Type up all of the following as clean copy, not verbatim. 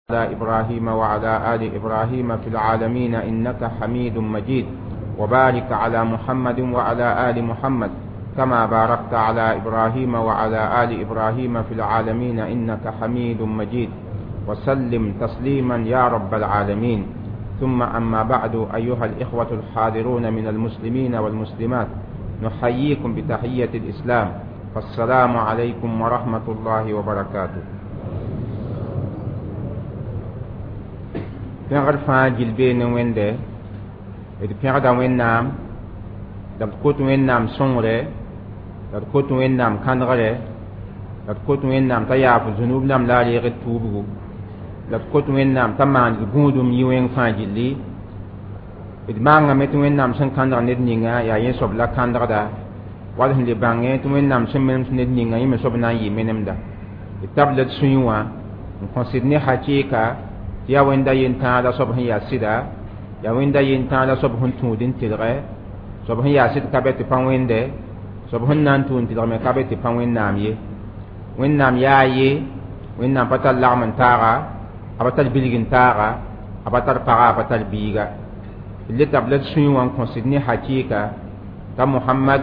على إبراهيم وعلى آل إبراهيم في العالمين إنك حميد مجيد. وبارك على محمد وعلى آل محمد كما باركت على إبراهيم وعلى آل إبراهيم في العالمين إنك حميد مجيد. وسلم تسليما يا رب العالمين. ثم أما بعد، أيها الإخوة الحاضرون من المسلمين والمسلمات، نحييكم بتحية الإسلام، فالسلام عليكم ورحمة الله وبركاته. Pẽgr fãa gill bee ne Wẽnde, d pẽgda Wẽnnaam, la d kot Wẽnnaam sõngre, la d kot Wẽnnaam kãdgre, la d kot Wẽnnaam t'a yaaf zũnub nam la a reeg d tuubgu, la d kot Wẽnnaam t'a maan d gũudum yi wẽng fãa gilli. D maangame tɩ Wẽnnaam sẽn kãndg ned ninga yaa yẽ soab la kãndgda, wall sẽn le bãngẽ tɩ Wẽnnaam sẽn menems ned ninga yẽ me soab na n yɩ menemda. D tabla d sũyẽ wã n kõsd ne hakɩɩka tɩ yaa Wẽnda yentãala soab sẽn yaa sɩda, yaa Wẽnda yentãala soab sẽn tũud n tɩlgɛ, soab sẽn yaa sɩd ka bɛ tɩ pa wẽnde, soab sẽn na n tũud n tɩlg me ka bɛ tɩ pa Wẽnnaam ye. Wẽnnaam yaa ye, Wẽnnaam pa tar lagm n taaga, a pa tar bilg n taaga, a pa tar paga, a pa tar biiga. D le tabla d sũyẽ wã n kõsd ne hakɩɩka t'a Mohamad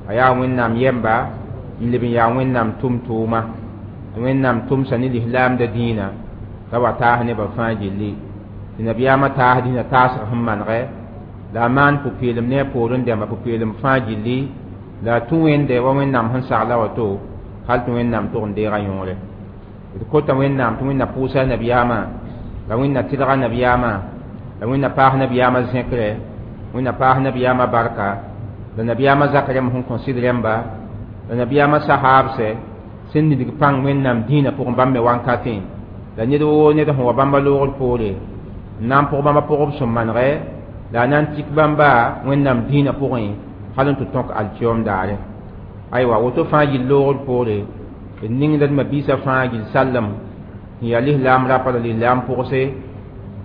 a yaa Wẽnnaam yɛmba n leb n yaa Wẽnnaam tʋm-tʋʋma, tɩ Wẽnnaam tʋmsa ne lislaamda dĩinã t'a wa taas nebã fãa gilli, tɩ nabiyaamã taas dĩnã taasg sẽn manegɛ, la a maan pʋ-peelem ne a poorẽ dẽmba pʋ-peelem fãa gilli, la a tũ Wẽnde wa Wẽnnaam sẽn sagla woto, hal tɩ Wẽnnaam tʋg n deega yõore. D kota Wẽnnaam tɩ Wẽnna pʋʋsa nabiyaamã, la Wẽnna tɩlga nabiyaamã, la Wẽnna paas nabiyaamã zẽkre, Wẽnna paas nabiyaamã barka, la nabiyaamã zak rẽmb sẽn kõ sɩd rẽmba, la nabiyaamã sahaabsɛ sẽn nidg pãng Wẽnnaam dĩinã pʋgẽ bãmb me wankatẽ, la ned woo ned sẽn wa bãmba loogr poore n na n pʋg bãmba pʋgb sẽn manegɛ, la a na n tik bãmba Wẽnnaam dĩinã pʋgẽ hal n tɩ tõk alkiyoom daare. Aywa, woto fãa gill loogr poore, d ningda d mabiisã fãa gill sallem sẽn yaa lislaam rapa la lislaam pʋgse,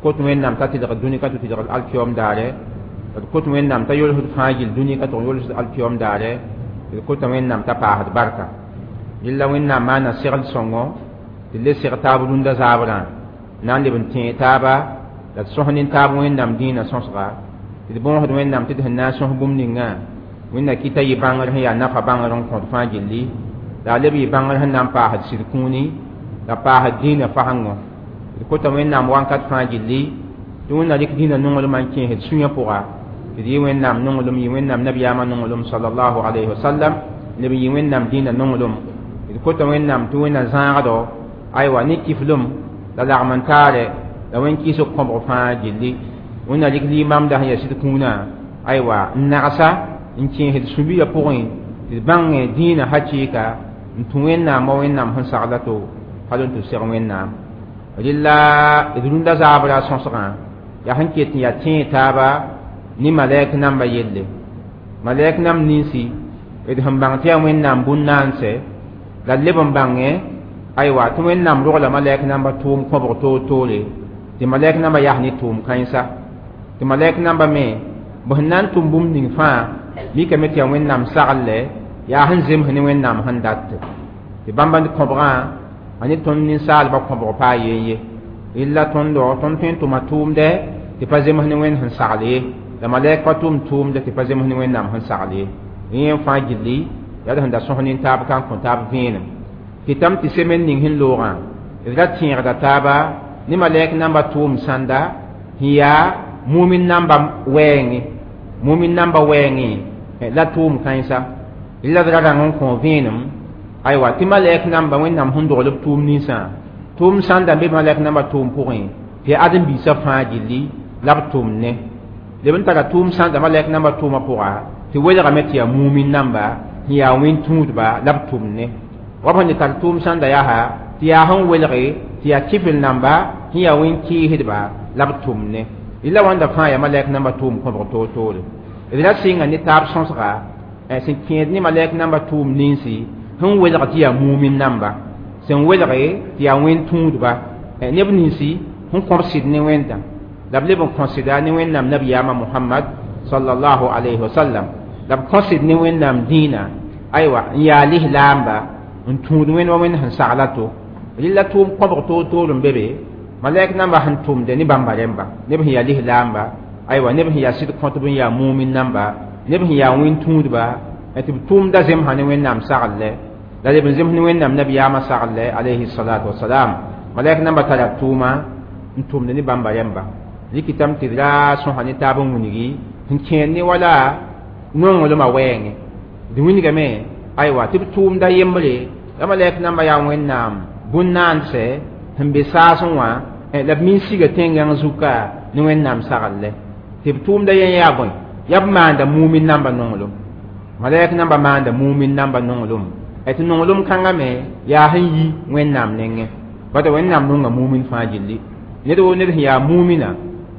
kot Wẽnnaam t'a tɩlg dũni ka tɩ tɩlgd alkiyoom daare, d kot Wẽnnaam t'a yolsd fãa gill dũni ka tɩ yolsd alkiyoom daare, d kota Wẽnnaam t'a paasd barka. Yella Wẽnnaam maana segl sõngo tɩ le seg taab rũndã zaabrã na n leb n tẽeg taaba, la d sõs nin-taab Wẽnnaam dĩinã sõsga, tɩ d bõosd Wẽnnaam tɩ d sẽn na n sõs bũmb ningã Wẽnna kɩta yɩ bãngr sẽn yaa nafa bãngr n kõt fãa gilli, la a leb yɩ bãngr sẽn na n paasd sɩd kũuni la paasd dĩinã fasengo. D kota Wẽnnaam wãnkat fãa gilli tɩ Wẽnna rɩk dĩinã nonglmã n kẽesd sũyã pʋga, tɩ d yɩ Wẽnnaam nonglem, yɩ Wẽnnaam nabiyaamã nonglem sallallahu alayhi wa sallam, leb n yɩ Wẽnnaam dĩinã nonglem. D kota Wẽnnaam tɩ Wẽnna zãagdo aywa ne kiflem la lagm n taare la wẽn-kɩɩsg kõbg fãa gilli. Wẽnna rɩk liimamda sẽn yaa sɩd kũunã aywa n nagsa n kẽesd sũ-biigã pʋgẽ tɩ d bãng dĩinã hakɩɩka n tũ Wẽnnaam wa Wẽnnaam sẽn sagla to hal n tɩ seg Wẽnnaam. Rɩla d rũndã zaabra sõsgã yaa sẽn ket n yaa tẽeg taaba ne malɛk namba yelle. Malɛk namb ninsi d sẽn bãng tɩ yaa Wẽnnaam bũn-naansɛ, la d leb n bãngẽ aywa tɩ Wẽnnaam rogla malɛk namba tʋʋm kõbg toor-toore, tɩ malɛk namba yas ne tʋʋm kãensa, tɩ malɛk namba me b sẽn na n tʋm bũmb ning fãa mikame tɩ yaa Wẽnnaam sagl yaa sẽn zems ne Wẽnnaam sẽn dat, tɩ bãmba kõbgã a ne tõnd ninsaalbã kõbg paa yen ye. Rɩla tõndo tõnd tõe n tʋma tʋʋmdɛ tɩ pa zems ne Wẽnd sẽn sagl ye, la malɛk pa tʋm tʋʋmdɛ tɩ pa zems ne Wẽnnaam sẽn sagl ye. Yẽ fãa gilli yaa d sẽn da sõs nin-taab ka n kõ taab vẽenem. Kɩtame tɩ semen ning sẽn loogã d ra tẽegda taaba ne malɛk namba tʋʋm sãnda sẽn yaa mumin namba wɛɛngẽ, mumin namba wɛɛngẽ la tʋʋm kãensa. Rɩla d ra rãng n kõ vẽenem aywa tɩ malɛk namba Wẽnnaam sẽn dogl b tʋʋm ninsã tʋʋm sãnda n be malɛk namba tʋʋm pʋgẽ tɩ yaa ãdem-biisã fãa gilli la b tʋm ne leb n tara tʋʋm sãnda malɛk namba tʋʋmã pʋga tɩ welgame tɩ yaa mumin namba sẽn yaa wẽn-tũudba la b tʋm ne wa b sẽn le tar tʋʋm sãnda yaa tɩ yaa sẽn welge tɩ yaa kifl namba sẽn yaa wẽn-kɩɩsdba la b tʋm ne. Rɩla wãnda fãa yaa malɛk namba tʋʋm kõbg toor-toore. D ra sɩnga ne taab sõsga sẽn kẽed ne malɛk namba tʋʋm ninsi sẽn welg tɩ yaa mumin namba, sẽn welge tɩ yaa wẽn-tũudba neb ninsi sẽn kõb sɩd ne Wẽnda, la b leb n kõ sɩda ne Wẽnnaam nabiyaamã Mohamad sallallahu alayhi wa sallam, la b kõ sɩd ne Wẽnnaam dĩinã aywa n yaa lislaamba n tũud Wẽnd wa Wẽnd sẽn sagla to. Rɩla tʋʋm kõbg toor-toor n be be. Malɛk namba sẽn tʋmde ne bãmba rẽmba neb sẽn yaa lislaamba, aywa, neb sẽn yaa sɩd kõtb n yaa mumin namba, neb sẽn yaa wẽn-tũudba, tɩ b tʋʋmda zemsã ne Wẽnnaam saglɛ, la leb n zems ne Wẽnnaam nabiyaamã saglɛ alayhi salatu wasalam. Malɛk namba tara tʋʋma n tʋmd ne bãmba rẽmba. Rɩkɩtame tɩ d ra sõsa ne taab n wilgi sẽn kẽer ne wala nonglmã wɛɛngẽ. D wilgame, aywa, tɩ b tʋʋmda yembre la malɛk namba yaa Wẽnnaam bũn-naandsɛ sẽn be saasẽ wã, la b min siga tẽn-gãng zuka ne Wẽnnaam saglɛ, tɩ b tʋʋmda yẽ yaa bõe? Yaa b maanda mumin namba nonglem. Malɛk namba maanda mumin namba nonglem, tɩ nonglem kãngã me yaa sẽn yi Wẽnnaam nengẽ. Bada Wẽnnaam nonga mumin fãa gilli. Ned woo ned sẽn yaa mumina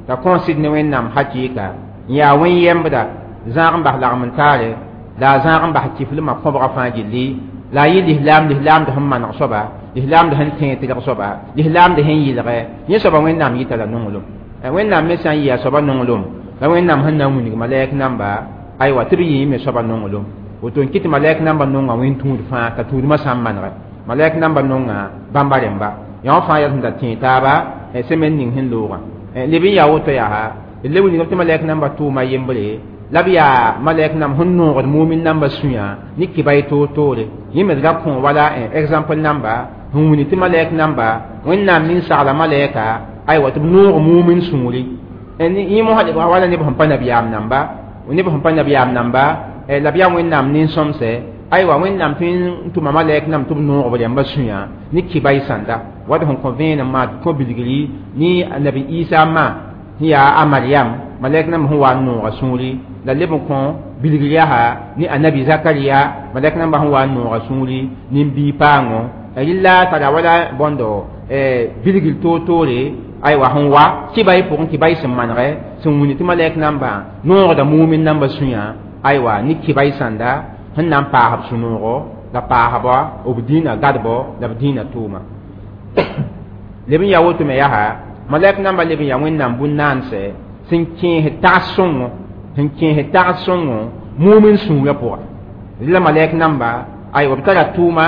t'a kõn sɩd ne Wẽnnaam hakɩɩka n yaa wẽn-yɛmbda, zãag n bas lagm n taare, la a zãag n bas kiflmã kõbga fãa gilli, la a yɩ lislaam, lislaamd sẽn maneg soaba, lislaamd sẽn tẽeg tɩlg soaba, lislaamd sẽn yɩlgɛ, yẽ soaba Wẽnnaam yɩta la nonglem. Wẽnnaam me sã n yɩ a soaba nonglem, la Wẽnnaam sẽn na n wilg malɛk namba, aywa, tɩ b yɩ me soaba nonglem. Woto n kɩt tɩ malɛk namba nonga wẽn-tũud fãa t'a tũudmã sã n manegɛ. Malɛk namba nonga bãmba rẽmba yã fãa yaa sẽn da tẽeg taaba semaine ning sẽn loogã. Leb n yaa woto yaa d le wilgame tɩ malɛk namba tʋʋma yembre la b yaa malɛk nam sẽn noogd mumin namba sũyã ne kibay toor-toore. Yẽ me d ra kõ wala exemple namba sẽn wilg tɩ malɛk namba Wẽnnaam nin-sagla malɛka, aywa, tɩ b noog mumin sũuri. Yẽ mosã wala neb sẽn pa nabiyaam namba, neb sẽn pa nabiyaam namba, la b yaa Wẽnnaam nin-sõmsɛ, aywa, Wẽnnaam tõe n tʋma malɛk nam tɩ b noog b rẽmba sũyã ne kibay sãnda wat sẽn kõ vẽenem maa kõ bilgri ne nabi Isa ma sẽn yaa a Mariam, malɛk namba sẽn wa n nooga sũuri, la leb n kõ bilgr yaa ne anabi Zakariya, malɛk namba sẽn wa n nooga sũuri nin-bii paango. Rɩla tara wala bõndo bilgr toor-toore, aywa, sẽn wa kibay pʋgẽ, kibay sẽn manegɛ sẽn wilg tɩ malɛk namba noogda mumin namba sũyã, aywa, ne kibay sãnda sẽn na n paas b sũ-noogo la paasba b dĩinã gadbo la b dĩinã tʋʋma. Leb n yaa woto me yaa malɛk namba leb n yaa Wẽnnaam bũn-naansɛ sẽn kẽes tags sõngo, sẽn kẽes tags sõngo mumin sũurã pʋga. La malɛk namba, aywa, b tara tʋʋma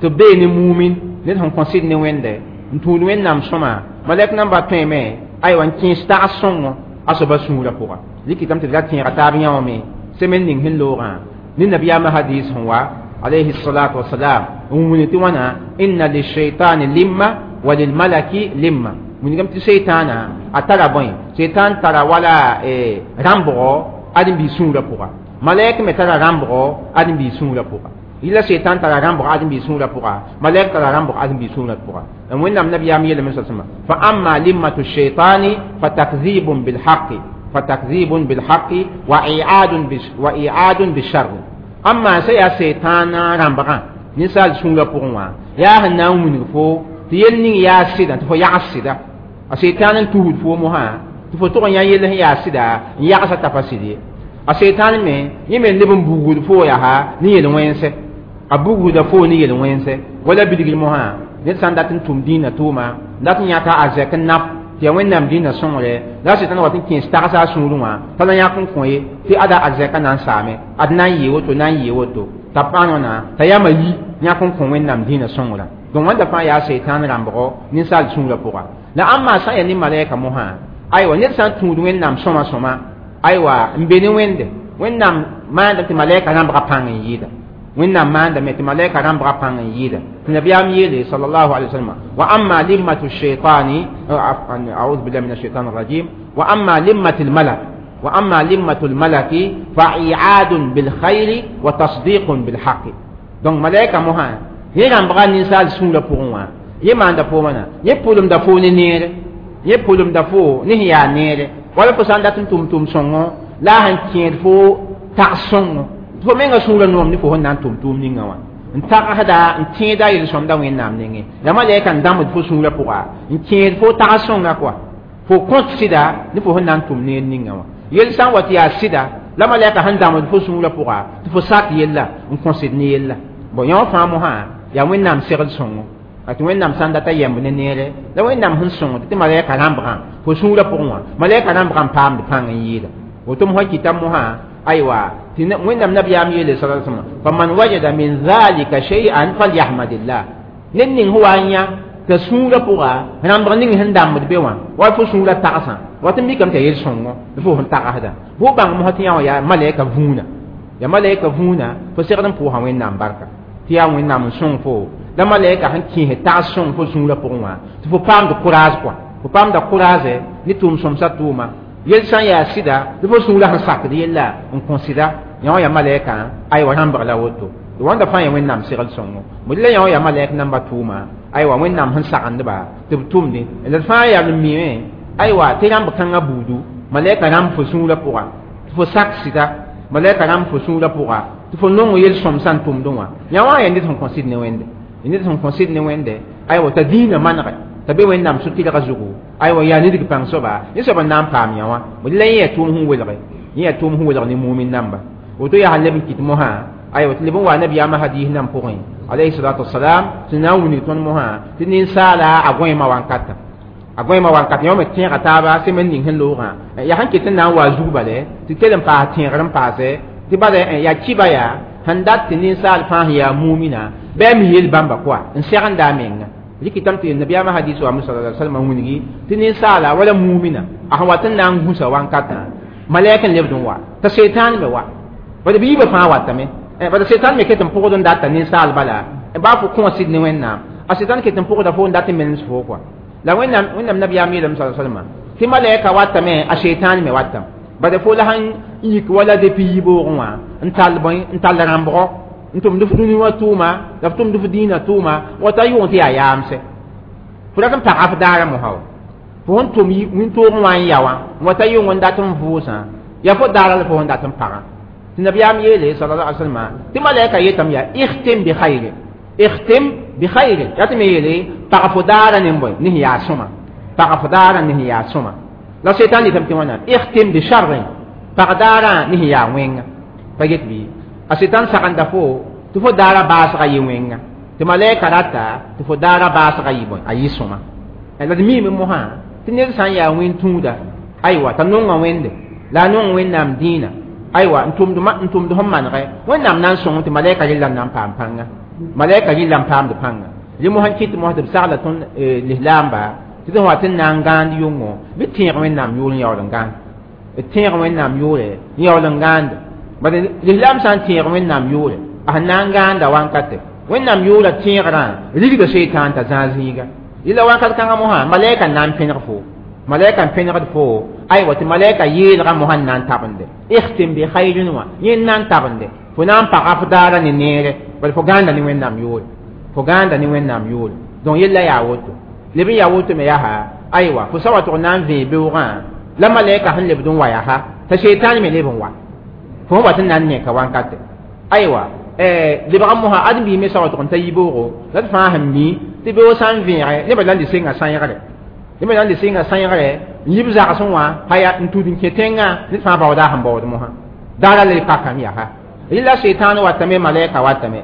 tɩ b bee ne mumin ned sẽn kõ sɩd ne Wẽnde n tũud Wẽnnaam sõma. Malɛk namba tõeme, aywa, n kẽes tags sõngo a soaba sũurã pʋga. Rɩkɩtame tɩ d ra tẽega taab yã wã me semaine ning sẽn loogã ne nabiyaamã hadis sẽn wa alayhi salatu wasalam n wilg tɩ wãna inna lishaitani limma wa lilmalaki limma. Wilgame tɩ seitaana a tara bõe? Seitan tara wala rãmbgo ãdem-biis sũurã pʋga. Malɛk me tara rãmbgo ãdem-biis sũurã pʋga. Yɩla seitan tara rãmbg ãdem-biis sũurã pʋga, malɛk tara rãmbg ãdem-biis sũurã pʋga. Wẽnnaam nabiyaam yeelame sasẽma fa amma limmatu shaitani fa takzibun bilhaqi, fa takzibun bilhaqi wa i'adun bisharr. Amma sã yaa seitaana rãmbgã ninsaal sũurã pʋgẽ wã yaa sẽn na n wilg fo tɩ yel ning yaa sɩda tɩ fo yags sɩda. A seitan n tusd fo mosã tɩ fo tʋg n yã yell sẽn yaa sɩda n yagsa t'a pa sɩd ye. A seitan me yẽ me leb n bugd fo yaa ne yel-wẽnsɛ, a bugda fo ne yel-wẽnsɛ wala bilgr mosã. Ned sã n dat n tʋm dĩinã tʋʋma, dat n yãka a zɛk n nap tɩ yaa Wẽnnaam dĩinã sõngre, la a sɩtãn wat n kẽes tagsa a sũurẽ wã t'a la yãk n kõ ye tɩ ada a zɛka na n saame, ad na n yɩ woto, na n yɩ woto, t'a pãan wãna t'a yama yi yãk n kõ Wẽnnaam dĩinã sõngrã. Donc wãnda fãa yaa seitan rãmbgo ninsaal sũurã pʋga. La ãmba sã n yaa ne malɛka mosã, aywa, ned sã n tũud Wẽnnaam sõma sõma, aywa, n be ne Wẽnde, Wẽnnaam maandame tɩ malɛka rãmbga pãng n yɩɩda. Wẽnnaam maandame tɩ malɛka rãmbga pãng n yɩɩda. Tɩ nabiyaam yeele sallallahu alaihi wasallam wa amma limmatu shaitani, a'udhu billahi minash shaitani rajim, wa amma limmatu almalak, wa amma limmatu almalaki fa i'adun bil khairi wa tasdiqun bil haqqi. Donc malɛka mosã yẽ rãmbga ninsaal sũurã pʋgẽ wã yẽ maanda fo wãna, yẽ pʋlemda fo ne neere, yẽ pʋlemda fo ne sẽn yaa neere, wala fo sã n dat n tʋm sõngo la a sẽn kẽed fo tags sõngo tɩ fo menga sũurã noom ne fo sẽn na n tʋm tʋʋm ninga wã n tagsda n tẽeda yel-sõmda Wẽnnaam nengẽ. La malɛka n dãmbd fo sũurã pʋga n kẽed fo tags sõnga kɔa fo kõt sɩda ne fo sẽn na n tʋm neer ninga wã. Yel sã n wa tɩ yaa sɩda la malɛka sẽn dãmbd fo sũurã pʋga tɩ fo sak yella n kõ sɩd ne yella. Bon, yã wã fãa mosã yaa Wẽnnaam segl sõngo tɩ Wẽnnaam sã n data yɛmb ne neere, la Wẽnnaam sẽn sõngd tɩ malɛka rãmbgã fo sũurã pʋgẽ wã malɛka rãmbgã n paamd pãng n yɩɩda. Woto mosã kɩta mosã, aywa, tɩ Wẽnnaam nabiyaam yeele sala sallam faman wajada min dhalika shay'an falyahmadillah. Ned ning sẽn wa n yã T'a sũurã pʋga rãmbg ning sẽn dãmbd be wã wa fo sũurã tagsã wat n mikame t'a yel-sõngo fo sẽn tagsda bʋ bãng mosã tɩ yã wã yaa malɛka vũuna ya malɛka vũuna fo segd n pʋʋsa Wẽnnaam barka tɩ yaa Wẽnnaam n sõng fo la malɛka sẽn kẽes tags sõng fo sũurã pʋgẽ wã tɩ fo paamd courage kɔa fo paamda courage ne tʋʋm-sõmsã tʋʋma yel sã n yaa sɩda tɩ fo sũurã sẽn sakd yella n kõ sɩda yã wã yaa malɛka aywa rãmbg la woto wãnda fãa yaa Wẽnnaam segl sõngo mo la yã wã yaa malɛk namba tʋʋma aywa Wẽnnaam sẽn sagendba tɩ b tʋmdẽ la d fãa yaa n miime aywa tɩ rãmb kãngã buudu malɛka rãmb fo sũurã pʋga tɩ fo sak sɩda malɛka rãmb fo sũurã pʋga tɩ fo nong yel-sõmsã n tʋmdẽ wã yã wã yaa ned sẽn kõ sɩd ne Wẽnde ned sẽn kõ sɩd ne Wẽnde aywa t'a dĩinã manege t'a be Wẽnnaam so-tɩlgã zugu aywa yaa nidg pãng soaba yẽ soab n na n paam yã wã la yẽ yaa tʋʋm sẽn welge yẽ yaa tʋʋm sẽn welg ne mumin namba woto yaa sã leb n kɩt mosã aywa tɩ leb n wa nabiyaamã hadiis nan pʋgẽ alayhi salatu wasalam tɩ na n wilg tõnd mosã tɩ ninsaala a gõeemã wankatã a gõeemã wankatã yã me tẽega taaba sẽm n ning sẽn loogã yaa sẽn ket n na n wa zug bale tɩ kell n paas tẽegr n paase tɩ bala yaa kiba yaa sẽn dat tɩ ninsaal fãa sẽn yaa mumina bɩ a mi yel bãmba kɔa n segenda a menga rɩkɩtame tɩ nabiyaamã hadis wa sallallahu alaihi wasallam wilgi tɩ ninsaala wala mumina a sẽn wat n na n gũsa wankatã malɛk n lebd n wa t'a seitan me wa bala bɩ yiibã fãa watame bala seitan me ket n pʋgd n data ninsaal bala baa fo kõ sɩd ne Wẽnnaam a seitan ket n pʋgda fo n dat n menes fo kɔa la Wẽnnaam nabiyaam yeelame sallallahu alaihi wasallam tɩ malɛka watame a seitan me watame bala fo la sãn yik wala depuis yiboogẽ wã n tall bõe n tall rãmbgɔ n tʋmd f dũni wã tʋʋma la f tʋmd f dĩinã tʋʋma wata yʋng tɩ yaa yaamse fo rat n pagã f daara mosã wa fo sẽn tʋm wĩntoogẽ wã n ya wã wata yʋng n dat n vʋʋsã yaa fo daara la fo sẽn dat n pagã tɩ nabiyaam yeele sallallahu alaihi wasallam tɩ malɛka yetame yaa ikhtim bi khayrin ikhtim bi khayrin yaa tɩ me yeele pag fo daara ne bõe ne sẽn yaa sõma pag fo daara ne sẽn yaa sõma la seitan yetame tɩ wãna ikhtim bi sharrin pag daara ne sẽn yaa wẽnga pa get bɩ a seitan sagenda fo tɩ fo daara baasga yɩ wẽnga tɩ malɛka rata tɩ fo daara baasga yɩ bõe a yɩ sõma la d miime mosã tɩ ned sã n yaa wẽn-tũuda aywa t'a nonga Wẽnde la a nong Wẽnnaam dĩinã aywa n tʋmd sẽn manegɛ Wẽnnaam na n sõng tɩ malɛka rɩlla n na n paam pãnga malɛka rɩlla n paamd pãnga rẽ mosã n kɩt mosã tɩ b sagla tõnd lislaamba tɩ d sẽn wat n na n gãand yʋngo bɩ tẽeg Wẽnnaam yʋʋr n yaool n gãand d tẽeg Wẽnnaam yʋʋre n yaool n gãande bala lislaam sã n tẽeg Wẽnnaam yʋʋre a sẽn na n gãanda wankate Wẽnnaam yʋʋra tẽegrã rigda seitan t'a zãag zĩiga yella wakat kãngã mosã malɛka n na n pẽneg fo malɛka n pẽnegd fo aywa tɩ malɛka yeelgã mosã n na n tabende ikhtim bi khayrin wã yẽ n na n tabende fo na n paga f daara ne neere bala fo gãanda ne Wẽnnaam yʋʋre fo gãanda ne Wẽnnaam yʋʋre donc yella yaa woto leb n yaa woto me yaa aywa fo sa wa tʋg na n vẽe beoogã la malɛka sẽn lebd n wa yaa t'a seitan me leb n wa fo wat n na n neka wankate aywa lebg mosã ãdem-biig me sa wa tʋg n ta yiboogo la d fãa sẽn mi tɩ beoog sã n vẽege nebã la n dɩ senga sãyegre nebã la n dɩ senga sãyegre n yib zagsẽ wã haya n tud n kẽ tẽngã ned fãa baooda sẽn baood mosã daara la y pakame yaa rɩla seitan watame malɛka watame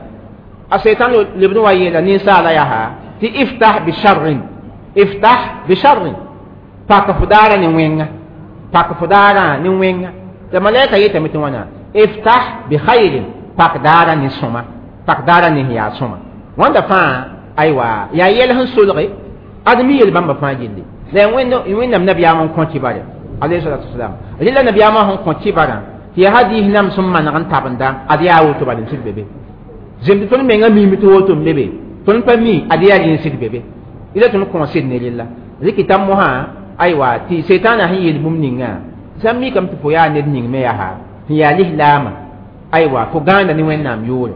a seitan lebd n wa yeela ninsaala yaa tɩ iftah bi sharrin iftah bi sharrin pak fo daara ne wẽnga pak fo daara ne wẽnga tɩ malɛka yetame tɩ wãna iftah bi khayrin pak daara ne sõma pak daara ne sẽn yaa sõma wãnda fãa aywa yaa yɛl sẽn solge ad mi yel bãmba fãa gilli la Wẽnnaam nabiyaam n kõ kibare alayhi salatu wasalam rɩla nabiyaamã sẽn kõ kibarã tɩ yaa hadiis nam sẽn maneg n tabenda ad yaa woto bal n sɩd be be zemd tõnd menga miime tɩ woto n be be tõnd pa mi ad yaa rẽ n sɩd be be ila tõnd kõ sɩd ne rella rɩkɩta mosã aywa tɩ setaanã sẽn yeel bũmb ninga sã n mikame tɩ fo yaa ned ning me yaa sẽn yaa lislaamã aywa fo gãanda ne Wẽnnaam yʋʋre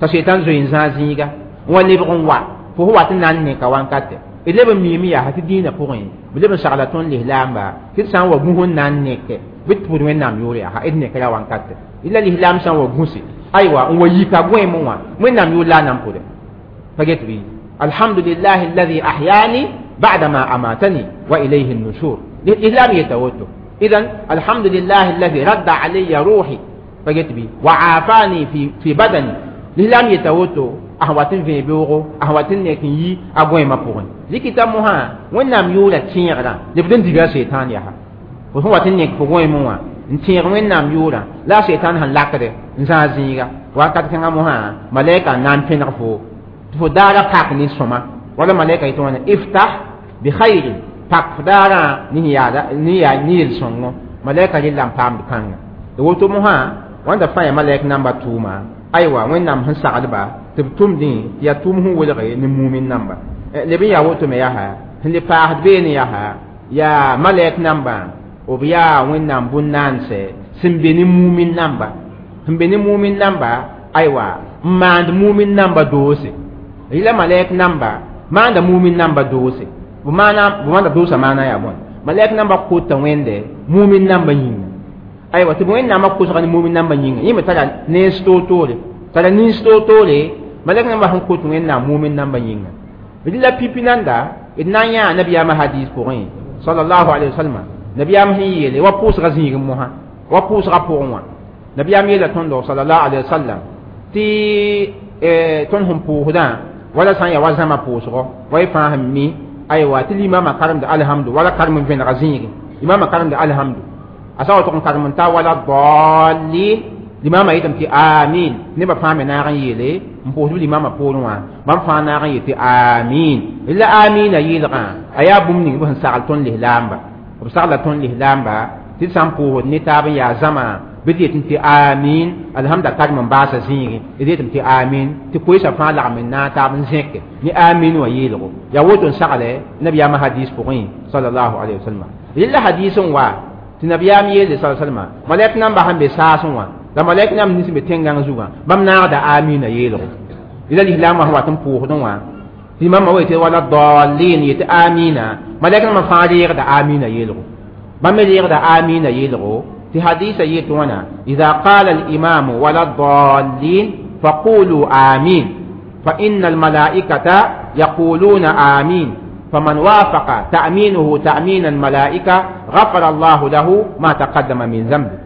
t'a seitan zoe n zãag zĩiga n wa lebg n wa fo sẽn wat n na n neka wankate d leb n miime yaa tɩ dĩinã pʋgẽ b leb n sagla tõnd lislaamba tɩ d sã n wa gũs n na n neke bɩ tɩ pʋd Wẽnnaam yʋʋre yaa d nekra wankate la lislaam sã n wa gũse aywa n wa yika gõeemẽ wã Wẽnnaam yʋʋr la a na n pʋdɛ pa get bɩ alhamdulillahi alladhi ahyani ba'dama amatani wa ilayhi an-nushur l'islam yeta woto idan alhamdulillahi alladhi radda alayya ruhi pa get bɩ wa afani fi badani l'islam yeta woto a wat n vẽe beoogo a wat n nek n yi a gõeemã pʋgẽ rɩkɩta mosã Wẽnnaam yʋʋra tẽegrã lebd n diga seitan yaa fo sẽn wat n nek fo gõeemẽ wã n tẽeg Wẽnnaam yʋʋrã la a seitan sẽn lakde n zãag zĩiga wakat kãngã mosã malɛka n na n pẽneg fo tɩ fo daara pak ne sõma Wala malaika yetɩ wãna iftah bi khairin pak f daarã ne yaada ne yaa ne yel-sõngo malaika rella n paamd kãnga d woto mosã wãnda fãa yaa malɛk namba tʋʋma aywa wẽnnaam sẽn saglba tɩ b tʋmdẽ tɩ yaa tʋʋm sẽn welge ne mumin namba leb n yaa woto me yaa sẽn le paasd beene yaa yaa malɛk namba b yaa wẽnnaam bũn-naandsɛ sẽn be ne mumin namba sẽn be ne mumin namba aywa n maand mumin namba doose rɩla malɛk namba maanda mumin namba doose b maana doosa maana yaa bõe malɛk namba kota wẽnde mumin namba yĩnga aywa tɩ b wẽnnaamã kosga ne mumin namba yĩnga yẽ me tara nens toor-toore tara nins toor-toore malɛk namba sẽn kot wẽnnaam mumin namba yĩnga rɩla pipi nanda d na n yãa nabiyaamã hadis pʋgẽ sallallahu alaihi wasallam nabiyaam sẽn yeele wa pʋʋsga zĩigẽ mosã wa pʋʋsga pʋgẽ wã nabiyaam yeela tõndo sallallahu alaihi wasallam tɩ tõnd sẽn pʋʋsdã wala sã n yaa wa zãma pʋʋsgɔ wa y fãa sẽn mi aywa tɩ limama karemd alhamdu wala karem n vẽnega zĩigẽ limama karemd alhamdu a sa wa tʋg n karem n ta wala dallin limama yetame tɩ amin nebã fãa me naag n yeele n pʋʋsb limama poorẽ wã bãmb fãa naag n yet tɩ amin la amina yeelgã a yaa bũmb ning b sẽn sagl tõnd lislaamba b sagla tõnd lislaamba tɩ d sã n pʋʋsd ne taab n yaa zãma bɩ d yetẽ tɩ amin alhamda karem n baasa zĩigẽ d yetame tɩ amin tɩ koeesã fãa lagm n naag taab n zẽke ne amin wã yeelgo yaa woto n sagle nabiyaamã hadis pʋgẽ sallallahu alaihi wasallam rɩla hadis n wa tɩ nabiyaam yeele sa salma malɛk namba sẽn be saasẽ wã la malɛk namba nins be tẽn-gãng zugã bãmb naagda amina yeelgo rɩla lislaamã sẽn wat n pʋʋsdẽ wã tɩ mama wa yetɩ wala dallin yetɩ amina malɛk nambã fãa reegda amina yeelgo bãmb me reegda amina yeelgo في حديث يتوانا إذا قال الإمام ولا الضالين فقولوا آمين فإن الملائكة يقولون آمين فمن وافق تأمينه تأمين الملائكة غفر الله له ما تقدم من ذنبه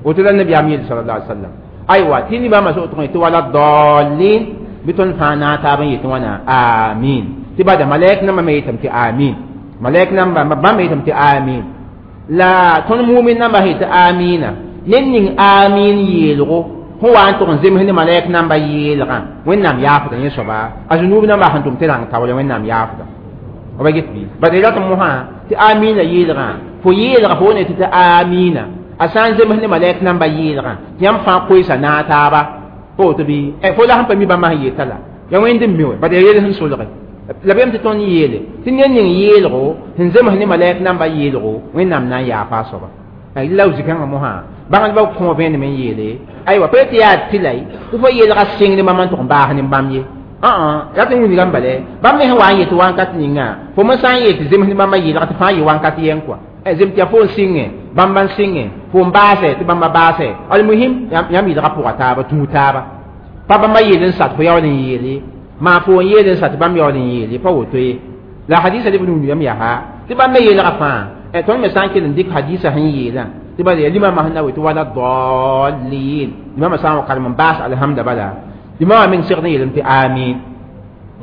وتلا النبي أمير صلى الله عليه وسلم أيوة تيني بما سؤتون ولا الضالين بتون فانا تابن يتوانا آمين تبدا ملائك نما ميتم تي آمين ملائك نما ما ميتم تي آمين la tõnd mumin namba sẽn tɩ amina ned ning amin yeelgo sẽn wa n tʋg n zems ne malɛk namba yeelgã wẽnnaam yaafda yẽ soaba a zũnuub namba sẽn tʋm tɩ rãng taoore wẽnnaam yaafda b get bɩ bad rat mosã tɩ amina yeelgã fo yeelga fo ne tɩ tɩ amina a sã n zems ne malɛk namba yeelgã tɩ yãmb fãa koeesa naag taaba fo woto bɩ fo la sẽn pa mi bãmba sẽn yeta la ya wẽnd n mi wɛ bad ya yel sẽn solge la bem tɩ tõnd yeele tɩ ned ning yeelgo sẽn zems ne malɛk namba yeelgo wẽnnaam na n yaafa a soaba la zikãngã mosã bãngdbã kõ vẽenem n yeele aywa pa tɩ yaa tɩlay tɩ fo yeelga sɩngd bãmb n tʋg n baas ne bãmb ye rat n wilgame bala bãmb me sẽn wa n yet wãnkat ninga fo me sã n yet zems ne bãmba yeelga tɩ fãa yɩ wãnkat yɛng kɔa zem tɩ yaa fo n sɩngẽ bãmba n sɩngẽ fo n baasɛ tɩ bãmba baasɛ almuhim yãmb yeelga pʋga taaba tũu taaba pa bãmba yeel n sat fo yaool n yeele maa fo n yeel n sat bãmb yaool n yeele pa woto ye la hadisa leb n wilgame yaa tɩ bãmb me yeelga fãa tõnd me sã n kell n dɩk hadisa sẽn yeelã tɩ bala yaa limama sẽn na we tɩ wala dallin limama sã n wa karem n baas alhamda bala limama meng segd n yeelame tɩ amin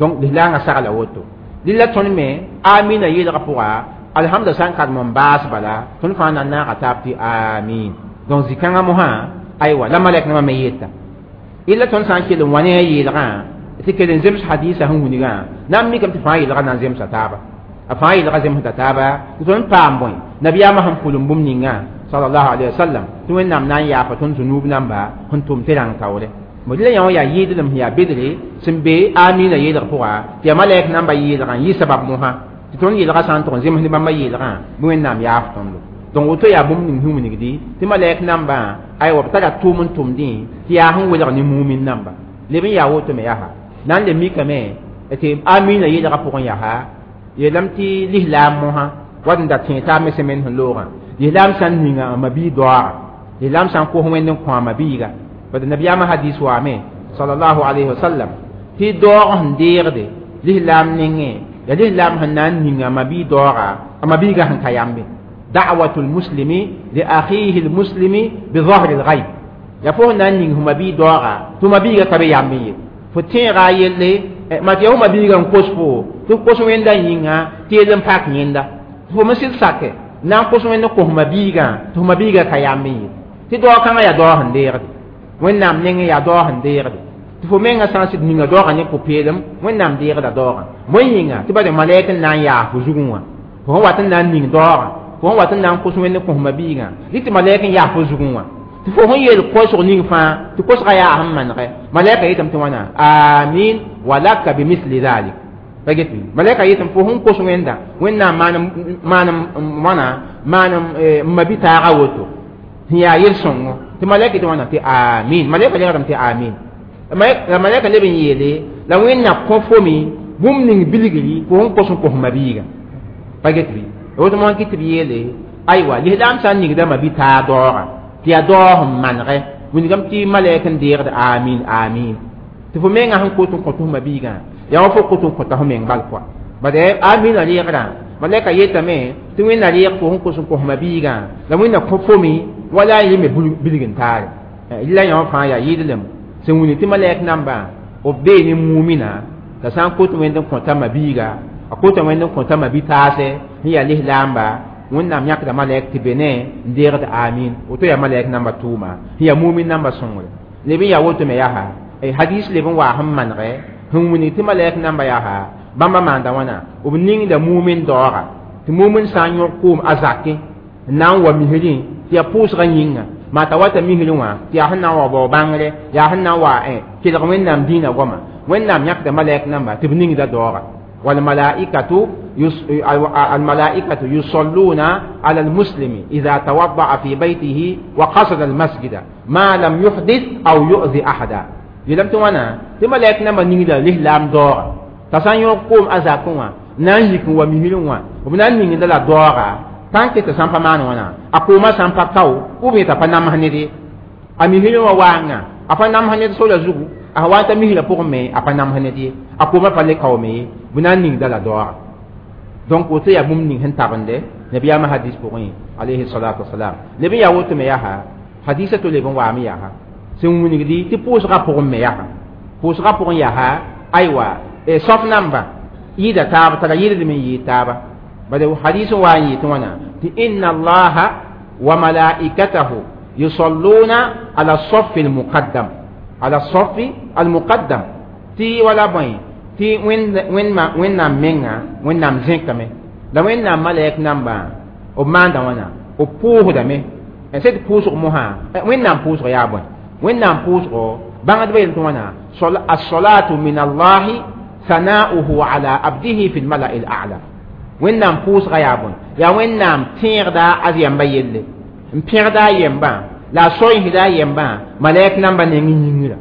donc lislaangã sagla woto dɩla tõnd me amina yeelgã pʋga alhamda sã n karem n baas bala tõnd fãa na n naaga taab tɩ amin donc zĩ-kãngã mosã aywa la malɛk nãmã me yeta illa tõnd sã n kell n wa ne a yeelgã tɩ kell n zems hadisa sẽn wilgã na n mikame tɩ fãa yeelgã na n zemsa taaba a fãa yeelgã zemsda taaba tɩ tõnd paam bõe nabiyaamã sẽn pʋlem bũmb ninga sallallahu alaihi wasallam tɩ wẽnnaam na n yaafa tõnd zũnuub namba sẽn tʋm tɩ rãng taoore bõe la yã wã yaa yɩɩdlem sẽn yaa bedre sẽn be amina yeelg pʋga tɩ yaa malɛk namba yeelgã n yɩ sabab mosã tɩ tõnd yeelgã sã n tʋg n zems ne bãmba yeelgã bɩ wẽnnaam yaaf tõndo donc woto yaa bũmb ning sẽn wilgdi tɩ malɛk nambã aywa b tara tʋʋm n tʋmdẽ tɩ yaa sẽn welg ne mumin namba leb n yaa woto me yaa na n le mikame tɩ amina yeelgã pʋgẽ yaa yeelame tɩ lislaam mosã wat n da tẽe taab me semaine sẽn loogã lislaam sã n ninga a mabii doaaga lislaam sã n kos wẽnd n kõ a mabiiga bad nabiyaamã hadis waame sallallahu alayhi wasallam tɩ daoog sẽn deegde lislaam nengẽ ya lislaam sẽn na n ninga a mabii daooga a mabiiga sẽn ka yambe da'watul muslimi li akhihi almuslimi bi dhahri alghayb ya fo na n ning f mabii daooga tɩ mabiiga ka be yambe ye fo tẽega a yelle mat yaa f mabiiga n kos fo tɩ f kos wẽnda yĩnga tɩ yell n pak yẽnda fo me sɩd sake na n kos wẽnd n kos mabiigã tɩ f mabiiga ka yambe ye tɩ daoog kãngã yaa daoog sẽn deegde wẽnnaam nengẽ yaa daoog sẽn deegde Tɩ fo menga sã n sɩd ninga daoogã ne pʋ-peelem, Wẽnnaam deegda daoogã. Bõe yĩnga tɩ bade malɛk n na n yaas fo zugẽ wã. Fo sẽn wat n na n ning daoogã, fo sẽn wat n na n kos Wẽnd n kõ mabiigã, dɩ tɩ malɛk n yaas fo zugẽ wã. Tɩ fo sẽn yeel kosg ning fãa, tɩ kosgã yaa sẽn manegɛ, malɛka yetame tɩ wãna: amin walaka bimisli dhalik. Pa get bɩ? Malɛka yetame fo sẽn kos Wẽnda, Wẽnnaam maan wãna maan n mabi taaga woto sẽn yaa yel-sõngo. Tɩ malɛka yetɩ wãna tɩ amin. Malɛka legdame tɩ amin. La malɛka leb n yeele la Wẽnnaam kõ fo me bũmb ning bilgri fo sẽn kos n kos mabiigã. Pa get bɩ? Woto mosã kɩ tɩ b yeele aywa lislaam sã n ningda mabi taag daoogã tɩ yaa daoog n manegɛ, wilgame tɩ malɛk n deegd amin amin. Tɩ fo menga sẽn kot n kõt f mabiigã, yaa wa fo kot n kõta fo meng bal kɔa. Bad amina reegrã, malɛka yetame tɩ Wẽnna reeg fo sẽn kos n kos mabiigã, la Wẽnna kõ fo me wala a yẽ me bilg n taare. Rɩla yã wã fãa yaa yɩɩdlem sẽn wilg tɩ malɛk namba b bee ne mumina t'a sã n kot Wẽnd n kõta mabiiga, a kota Wẽnd n kõta mabi-taasɛ sẽn yaa lislaamba, Wẽnnaam yãkda malɛk tɩ be ne n deegd amin. Woto yaa malɛk namba tʋʋma sẽn yaa mumin namba sõngre. Leb n yaa woto me yaa hadis leb n waa sẽn manegɛ sẽn wilg tɩ malɛk namba yaa bãmba maanda wãna, b ningda mumin daooga, tɩ mumin sã n yõg koom a zakẽ n na n wa misrẽ tɩ yaa pʋʋsgã yĩnga, maa t'a wata misrẽ wã tɩ yaa sẽn na n wa bao bãngre, yaa sẽn na n wa kelg Wẽnnaam dĩinã goama, Wẽnnaam yãkda malɛk namba tɩ b ningda daooga. والملائكة الملائكة يصلون على المسلم إذا توضأ في بيته وقصد المسجد ما لم يحدث أو يؤذي أحدا. يلم توانا تملائك نما نيغدا لهلام دور تسان يقوم أزاكوا نان يكون ومهلوا وبنان نيغدا لا دورا tanke tɩ sãn pa maan wãna a koomã sãn pa kao ou bien t'a pa nams ned ye, a misrẽ wã waanga a pa nams ned sola zugu, a wa t'a misrã pʋgẽ me a pa nams ned ye, a koomã pa le kaoome ye, bɩ na n ningda la daooga. Donc woto yaa bũmb ning sẽn tabende nabiyaamã hadis pʋgẽ alayhi salatu wasalam. Leb n yaa woto me yaa hadisa to leb n waame yaa sẽn wilgdi tɩ pʋʋsgã pʋgẽ me yaa pʋʋsgã pʋgẽ yaa aywa sof namba yɩɩda taab tara yɩɩdlem n yɩɩd taaba. Bala hadis wa n yɩɩt wãna tɩ inna allaha wa malaikatahu yusalluna ala safi almuqaddam, ala safi almuqaddam, tɩ wala bõe tɩ Wẽnnaam menga Wẽnnaam zẽkame la Wẽnnaam malɛk namba b maanda wãna b pʋʋsdame sẽd pʋʋsg mosã. Wẽnnaam pʋʋsg yaa bõe? Wẽnnaam pʋʋsgo bãngdbã yel tɩ wãna: as-salatu min allahi sana'uhu ala abdihi fi lmala'i al-a'la. Wẽnnaam pʋʋsga yaa bõe? Yaa Wẽnnaam tẽegda a yɛmba yelle n pẽgda a yɛmbã la a soinsda a yɛmbã malɛk namba neng yĩngrã.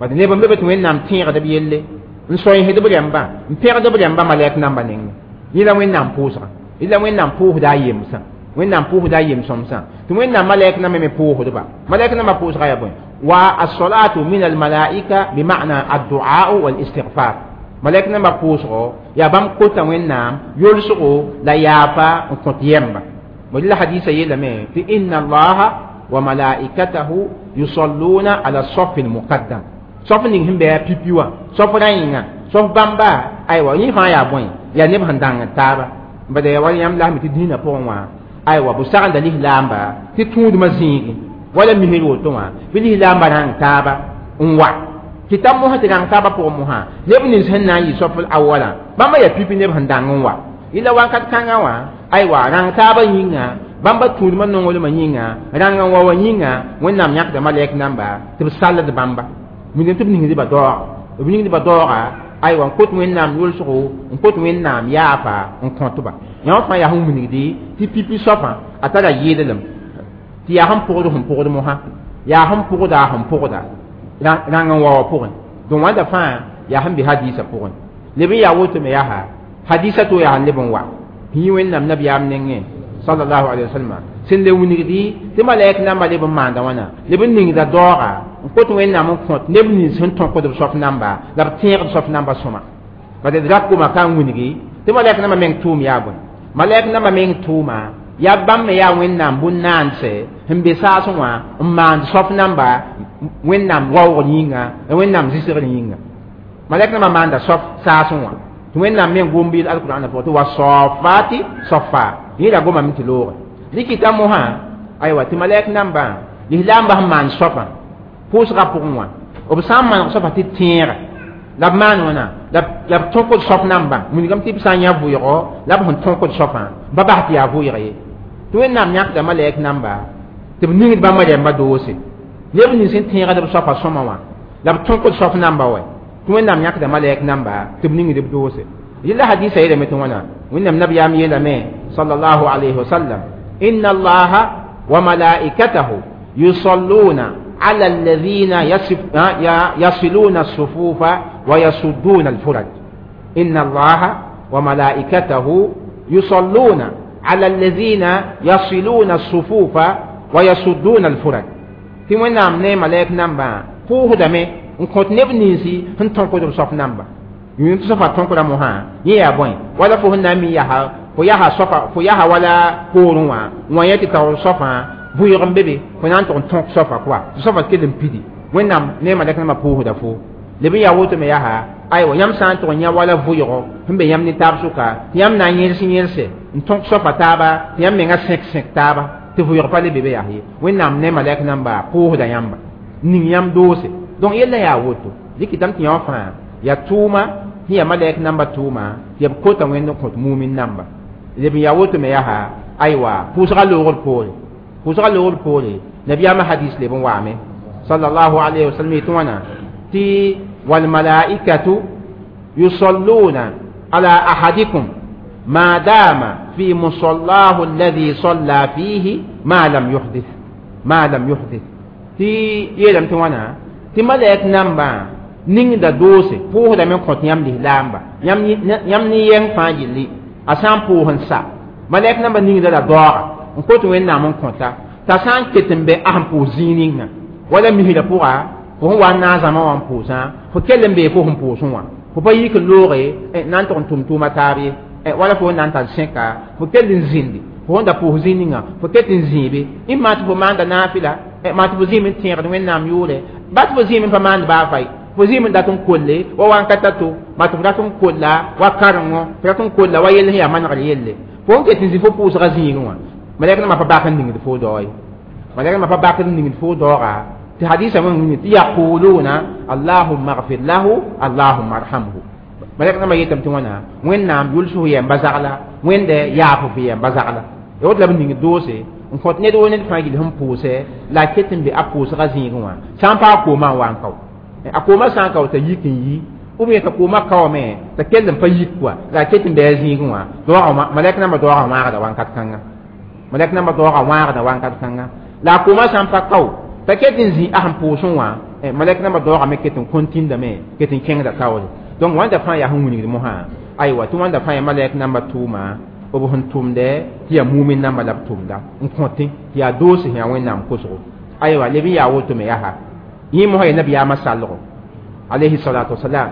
Bad neb n be be tɩ Wẽnnaam tẽegd b yelle n soinsd b rẽmbã n pẽgd b rẽmbã malɛk namba nengẽ. Yẽ la Wẽnnaam pʋʋsga, yẽ la Wẽnnaam pʋʋsda a yemsã, Wẽnnaam pʋʋsda a yem-sõmsã tɩ Wẽnnaam malɛk namba me pʋʋsdba. Malɛk namba pʋʋsga yaa bõe? Wa as-salatu min al-malaika bima'na ad-du'a wal-istighfar. Malɛk namba pʋʋsgo yaa bãmb kota Wẽnnaam yolsgo la yaafa n kõt yɛmba. La hadisa yeelame tɩ inna allaha wa malaikatahu yusalluna ala safi al-muqaddam, sof ning sẽn bɩ a pipi wã, sof rã yĩnga, sof bãmba aywa yẽ fãa yaa bõe? Yaa neb sẽn dãng taaba. Bad yaa wala yãmb lasme tɩ dĩinã pʋgẽ wã aywa bʋ sagenda lislaamba tɩ tũudmã zĩigi wala misr woto wã bɩ lislaamba rãng taaba n wa tɩ ta mosã tɩ rãng taabã pʋgẽ mosã neb nins sẽn na n yɩ sof awala bãmba yaa pipi neb sẽn dãng n wa. Yẽla wakat kãngã wã aywa rãng taabã yĩnga bãmba tũudmã nonglmã yĩnga rãng n wa wã yĩnga Wẽnnaam yãkda malɛk namba tɩ b salld bãmba wilgem tɩ b ningdba daooga, b ningdba daooga aywa n kot Wẽnnaam yolsgo n kot Wẽnnaam yaafa n kõtba. Yã wã fãa yaa sẽn wilgdi tɩ pipi soafã a tara yɩɩdlem tɩ yaa sẽn pʋgd sẽn pʋgd mosã, yaa sẽn pʋgda sẽn pʋgda rãng n wa wã pʋgẽ. Donc wãnda fãa yaa sẽn be hadisã pʋgẽ. Leb n yaa woto me yaa hadisa to yaa sẽn leb n wa yĩ Wẽnnaam nabiyaam nengẽ sallallahu alaihi wasallam sẽn le wilgdi tɩ malɛk namba leb n maanda wãna leb n ningda daooga n kot Wẽnnaam n kõt neb nins sẽn tõkd b soaf namba la b tẽegd soaf namba sõma. Bad d rak goma ka n wilgi tɩ malɛk namba meng tʋʋm yaa bõe? Malɛk namba meng tʋʋma yaa bãmb me yaa Wẽnnaam bũn-naandsɛ sẽn be saasẽ wã n maand soaf namba Wẽnnaam waoogr yĩnga la Wẽnnaam zɩsgr yĩnga. Malɛk namba maanda soaf saasẽ wã tɩ Wẽnnaam meng gom bɩ alkurãnã pʋgẽ tɩ wa safati safa yẽ la gomame tɩ looge dɩkɩta mosã aywa tɩ malɛk nambã lislaambã sẽn maan soafã pʋʋsgã pʋgẽ wã B sã n maneg soaba tɩ tẽega la b maan wãna la b tõkd soap namba wilgame tɩ b sã n yã vʋɩgo la b sẽn tõkd soapã ba bas tɩ yaa vʋɩg ye tɩ Wẽnnaam yãkda malɛk namba tɩ b ningd bãmba rɛmba doose neb nins sẽn tẽegd b soapã sõma wã la b tõkd soap namba wɛ tɩ Wẽnnaam yãkda malɛk namba tɩ b ningd b doose yella hadisa yeelame tɩ wãna Wẽnnaam nabiyaam yeelame sallallahu alayhi wa sallam inna allaha wa malaikatahu yusalluna على الذين يصلون الصفوف ويسدون الفرج إن الله وملائكته يصلون على الذين يصلون الصفوف ويسدون الفرج في وين ne malek namba puusdame n kõt neb ninsi sẽn tõkd b soap namba yũum tɩ soapa tõkda mosã yẽ yaa bõe wala fo sẽn na n mi yaa fo yaa soapa fo yaa wala poorẽ wã wã yẽ tɩ taoor soapã vʋɩg n be be fo na n tʋg n tõk soapa koa tɩ soapa kell n pidi Wẽnnaam ne malɛk nambã pʋʋsda fo leb n yaa woto me yaa aywa yãmb sã n tʋg n yã wala vʋɩgo sẽn be yãmb ne taab sʋka tɩ yãmb na n yẽls yẽlse n tõk soapa taaba tɩ yãmb menga sẽk sẽk taaba tɩ vʋɩg pa le be be yaa ye Wẽnnaam ne malɛk namba pʋʋsda yãmba ning yãmb doose donc yella yaa woto dɩkɩtame tɩ yã wã fãa yaa tʋʋma sẽn yaa malɛk namba tʋʋma tɩ b kota Wẽnd n kõt mumin namba leb n yaa woto me yaa aywa pʋʋsga loogr poore pʋʋsga loogr poore nabiyaamã hadis leb n waame sallallahu alayhi wa sallam yetɩ wãna tɩ walmalaikatu yusalluna ala ahadikum ma dama fi musallahu alladhi salla fihi ma lam yuhdith ma lam yuhdith tɩ yeelame tɩ wãna tɩ malɛk nambã ningda doose pʋʋsdame n kõt yãmb lislaamba yãmb ne yɛng fãa gilli a sã n pʋʋs n sa malɛk nambã ningda la daooga n kot Wẽnnaam n kõta t'a sã n ket n be a sẽn pʋʋs zĩig ninga wala misrã pʋga fo sẽn wa n naag zãma wã n pʋʋsã fo kell n bee fo sẽn pʋʋsẽ wã fo pa yik n looge na n tʋg n tʋm tʋʋma taab ye wala fo na n tar sẽka fo kell n zĩndi fo sẽn da pʋʋs zĩig ninga fo ket n zĩibe maa tɩ fo maanda naafɩla maa tɩ fo zĩim n tẽegd Wẽnnaam yʋʋre ba tɩ fo zĩim n pa maand baa fay fo zĩim n dat n kolle wa wãn-ka ta to maa tɩ fo rat n kolla wa karengo fo rat n kolla wa yell sẽn yaa manegr yelle fo n ket n zĩ fo pʋʋsga zĩigẽ wã malɛk nambã pa bak n ningd fo dao ye malɛk nambã pa bak n ningd fo daooga tɩ hadisa wẽng wĩngi tɩ yaquluna allahumma gfir lahu allahumma arhamhu malɛk nambã yetame tɩ wãna Wẽnnaam yʋls f yɛmba zagla Wẽnde yaaf f yɛmba zagla ya woto la b ning doose n kõt ned wo ned fãa gill sẽn pʋʋsɛ la a ket n be a pʋʋsga zĩigẽ wã sã n pa a koomã n wa n kao a koomã sã n kao t'a yik n yi ou bien t'a koomã kaoome t'a kell n pa yik koa la a ket n be a zĩigẽ wã malɛk nambã daoogã wãagda wãnkat kãnga malɛk nambã daoogã wãagda wãnkat kãnga la a koomã sã n pa kao t'a ket n zĩ a sẽn pʋʋsẽ wã malɛk nambã daoogã me ket n kõntindame ket n kẽngda taoore donc wãnda fãa yaa sẽn wilgd mosã aywa tɩ wãnda fãa yaa malɛk nambã tʋʋma b sẽn tʋmdɛ tɩ yaa mumin namba la b tʋmda n kõtẽ tɩ yaa doose sẽn yaa Wẽnnaam kosgo aywa leb n yaa woto me yaa yẽ mosã yaa nabiyaamã salgo alayhi salatu wasalam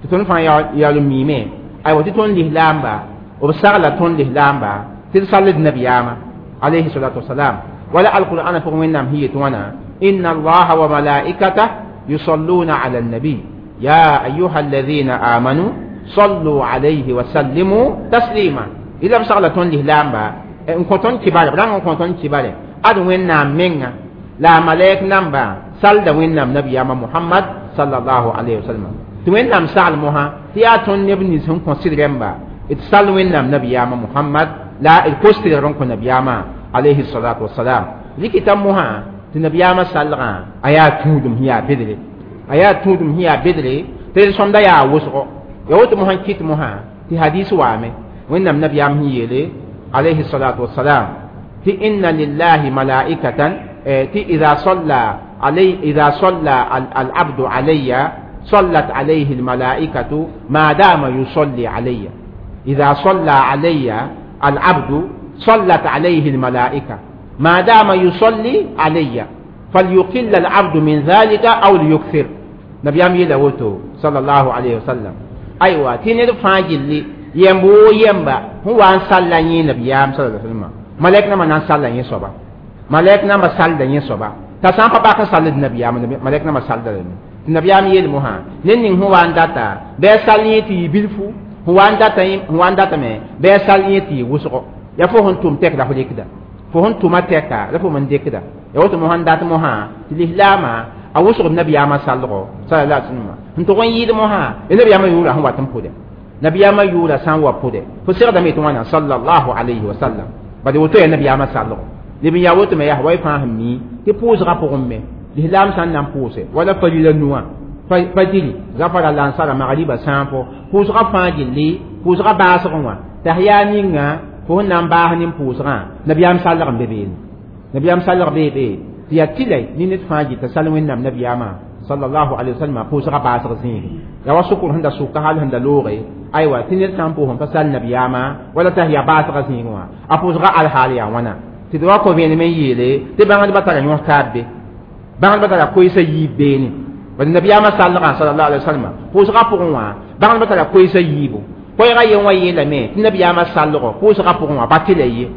tɩ tõnd fãa yaool n miime aywa tɩ tõnd lislaamba b sagla tõnd lislaamba tɩ d sall d nabiyaamã alayhi salatu wasalam wala alqur'ana pʋgẽ Wẽnnaam sẽn yet wãna inna allaha wa malaikatah yusalluna ala annabi ya ayuha alladhina amanu sallu alayhi wa sallimu taslima ila b sagla tõnd lislaamba n kõ tõnd kibare b rãng n kõ tõnd kibare ad Wẽnnaam menga la a malɛk namba salda Wẽnnaam nabiyaamã Muhammad sallallahu alayhi wa sallam tɩ Wẽnnaam sagl mosã tɩ yaa tõnd neb nins sẽn kõ sɩd rẽmba d sall Wẽnnaam nabiyaamã Muhammad la d kos tɩrg n kõ nabiyaamã alayhi salatu wasalam rɩkɩta mosã tɩ nabiyaamã salgã a yaa tũudum sẽn yaa bedre a yaa tũudum sẽn yaa bedre tɩ d sõmda yaa wʋsgo ya woto mosã n kɩt mosã tɩ hadis waame Wẽnnaam nabiyaam sẽn yeele alayhi salatu wasalam tɩ inna lillahi malaikatan tɩ ida salla alay ida salla al-abdu alayya صلت عليه الملائكة ما دام يصلي علي إذا صلى علي العبد صلت عليه الملائكة ما دام يصلي علي فليقل العبد من ذلك أو ليكثر نبي أمي لوتو صلى الله عليه وسلم أيوة تيني فاجل يمبو يمبا هو أن صلى نبي صلى الله عليه وسلم ملائكة ما نان صلى صبا ملائكة ما صلى صبا تسام بابا صلى النبي ملائكة ما صلى tɩ nabiyaam yeel mosã ned ning sẽn wa n data bɩ a sall yẽ tɩ yɩ bilfu sẽn wa n datame bɩ a sall yẽ tɩ yɩ wʋsgo yaa fo sẽn tʋm tɛk la fo rɩkda fo sẽn tʋma tɛka la fo n dɩkda ya woto mosã n dat mosã tɩ lislaamã A wʋsg nabiyaamã salgo sallallahu alaihi wasallam n tʋg n yɩɩd mosã nabiyaamã yʋʋra sẽn wat n pʋdɛ nabiyaamã yʋʋra sã n wa pʋdɛ fo segdame tɩ wãna sallallahu alayhi wa sallam bad woto yaa nabiyaamã salgo leb n yaa woto me yaa wa y fãa sẽn mi tɩ pʋʋsgã pʋgẽ me lislaam sã n na n pʋʋse wala farila nuwã fajiri zafara lansara magriba sãafo pʋʋsgã fãa gilli pʋʋsgã baasgẽ wã tahya ninga fo sẽn na n baas nin pʋʋsgã nabiyaam salg n be beene nabiyaam salg bee be tɩ yaa tɩla ne ned fãa gɩta sal wẽnnaam nabiyaamã sallallahu alaihi wasallam pʋʋsgã baasg zĩige yaa wa sʋkr sẽn da sʋka hal sẽn da looge aywa tɩ ned sã n pʋʋs n pa sal nabiyaamã wala t'a yaa baasgã zĩigẽ wã a pʋʋsgã alhaal yaa wãna tɩ d wa kõ vẽenem n yeele tɩ bãngdbã tara yõs taab be bãngdbã tara koeesã yiib beene bad nabiyaamã salgã sallallahu alaihi wasallam pʋʋsgã pʋgẽ wã bãngdbã tara koeesã yiibu koɛɛgã yen wã yeelame tɩ nabiyaamã salgo pʋʋsgã pʋgẽ wã pa tɩla ye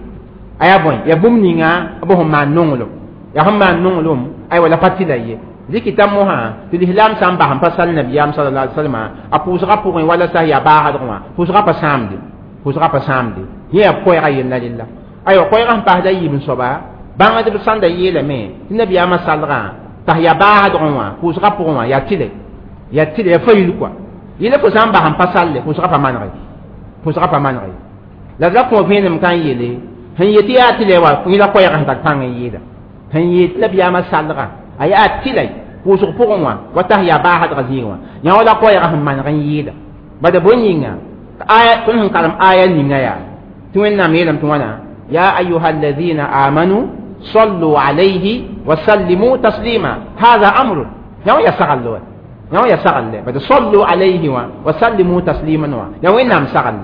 a yaa bõe yaa bũmb ninga b sẽn maan nonglem yaa sẽn maan nonglem aywa la pa tɩla ye rɩkɩta mosã tɩ lislaam sã n bas n pa sal nabiyaam sallallahu alaihi wasallam a pʋʋsgã pʋgẽ wala sã yaa baasdg wã pʋʋsgã pa sãamde pʋʋsgã pa sãamde yẽ yaa koɛɛgã yella rella aywa koɛɛgã sẽn paasda yiib n soaba bãngdb sãn da yeelame tɩ nabiyaamã salgã t'a yaa baasdgẽ wã pʋʋsgã pʋgẽ wã yaa tɩlɛ yaa tɩlɛ yaa fayil kɔa yẽla fo sã n bas n pa salle pʋʋsgã pa manege pʋʋsgã pa manege la d ra kõ vẽenem ka n yeele sẽn yetɩ yaa tɩlɛ wa yẽla koɛɛgã sẽn tar pãng n yeela sẽn yet nabiyaamã salgã a yaa tɩlɛ pʋʋsg pʋgẽ wã wa t'a yaa baasdgã zĩigẽ wã yã wala koɛɛgã sẽn maneg n yeela bada bõe yĩnga aya tõnd sẽn karem aya ninga yaa tɩ wẽnnaam yeelame tɩ wãna ya ayuha alladhina amanu صلوا عليه وسلموا تسليما هذا أمر يا يا سغل يا يا سغل بس صلوا عليه وسلموا تسليما يا وين نام سغل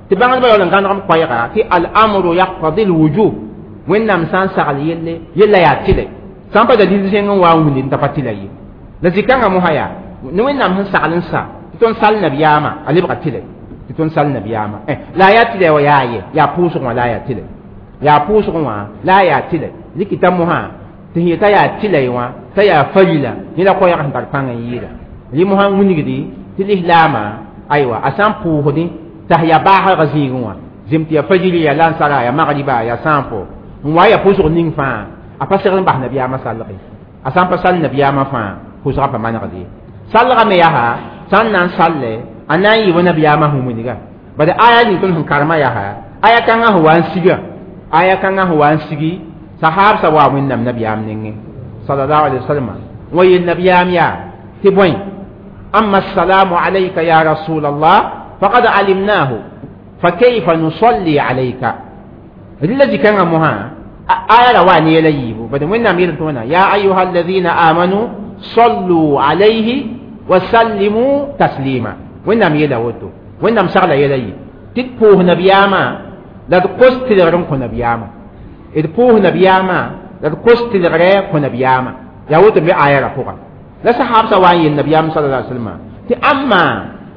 تبان بقى ولا كان رم قيرا في الأمر يقتضي الوجوب وين نام سان سغل يلي يلا يا تلي سان بدا دي سين وا وني انت فتلي لذي كان مهيا وين نام سغل سا تون سال نبياما علي بقى تلي تون سال نبياما لا يا تلي ويا يا بوسو ولا يا تلي yaa pʋʋsgẽ wã la a yaa tɩlɛ rɩkɩta mosã tɩ sẽn yeta yaa tɩla wã t'a yaa farila yẽ la koɛɛg sẽn tar pãng n yɩɩda rɩ mosã wilgdi tɩ lislaamã aywa a sã n pʋʋsdẽ t'a yaa baasgã zĩigẽ wã zem tɩ yaa fajiri yaa lansara yaa magriba yaa sãafo n wa yaa pʋʋsg ning fãa a pa segd n bas nabiyaamã salge a sã n pa sal nabiyaamã fãa pʋʋsgã pa manegd ye salgã me yaa sã n na n salle a na n yɩ wa nabiyaamã sẽn wilga bad aya ning tõnd sẽn karemã yaa aya kãngã sẽn wa n siga aya kãngã sẽn wa n sigi sahab sa wa wẽnnaam nabiyaam nengẽ sallallahu alaihi wasallam wa yel nabiyaam yaa tɩ bõe amma assalamu alayka ya rasul allah faqad alimnahu fakayfa nusalli alayka rɩla zĩ-kãngã mosã aya ra wa ne yɛla yiibu bad wẽnnaam yeel tɩ wãna ya ayuha alladhina amanu sallu alayhi wa sallimu taslima wẽnnaam yeela woto wẽnnaam sagla yɛla yɩ tɩ d pʋʋs nabiyaamã la d kos tɩlgr n kõ nabiyaamã d pʋʋs nabiyaamã la d kos tɩlgrɛ kõ nabiyaamã yaa woto be aya ra pʋga la sahabsã wa n yel nabiyaam sallallahu alaihi wasallam tɩ ãmma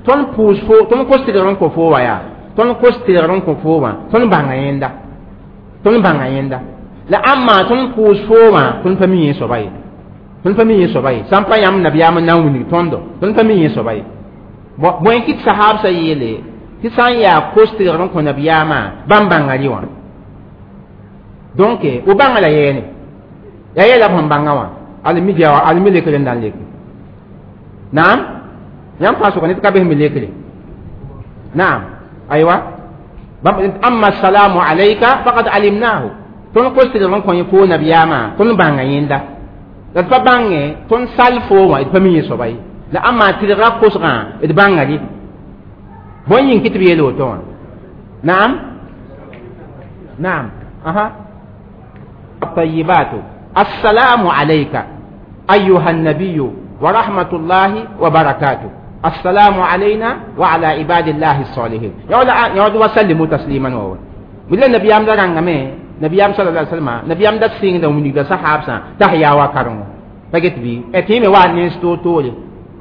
tõnd pʋʋs fo tõnd kos tɩlgr n kõ fo wa yaa tõnd kos tɩlgr n kõ fo wã tõnd bãnga yẽnda tõnd bãnga yẽnda la ãmma tõnd pʋʋs fo wã tõnd pa mi yẽ soaba ye tõnd pa mi yẽ soaba ye sã n pa yãmb nabiyaam n na n wilg tõndo tõnd pa mi yẽ soaba ye bõe kɩ tɩ sahabsã yeele tɩ sã n yaa kos tɩlgr n kõ nabiyaamã bãmb bãnga rɩ wã donc o bãnga la yɛɛne yaa yɛla b sẽn bãnga wã almi dia almi lekre n na n leke naam yãmb fãa sʋka ned ka bes me lekre naam aywa amma assalamu alayka faqad alimnahu tõnd kos tɩlgr n kõ yẽ foo nabiyaamã tõnd bãnga yẽnda la d pa bãngẽ tõnd sal foo wã d pa mi yẽ soaba ye la ãmma tɩlgra kosgã d bãnga rɩ bõe yĩng kɩ tɩ b yeel woto wã naam naam aha الطيبات السلام عليك أيها النبي ورحمة الله وبركاته السلام علينا وعلى عباد الله الصالحين يقول وسلموا تسليما وهو ولا النبي أم دران نبي أم صلى الله عليه وسلم نبي أم دسين دو من صحابة تحيا وكرم فقلت بي أتيم وان تولي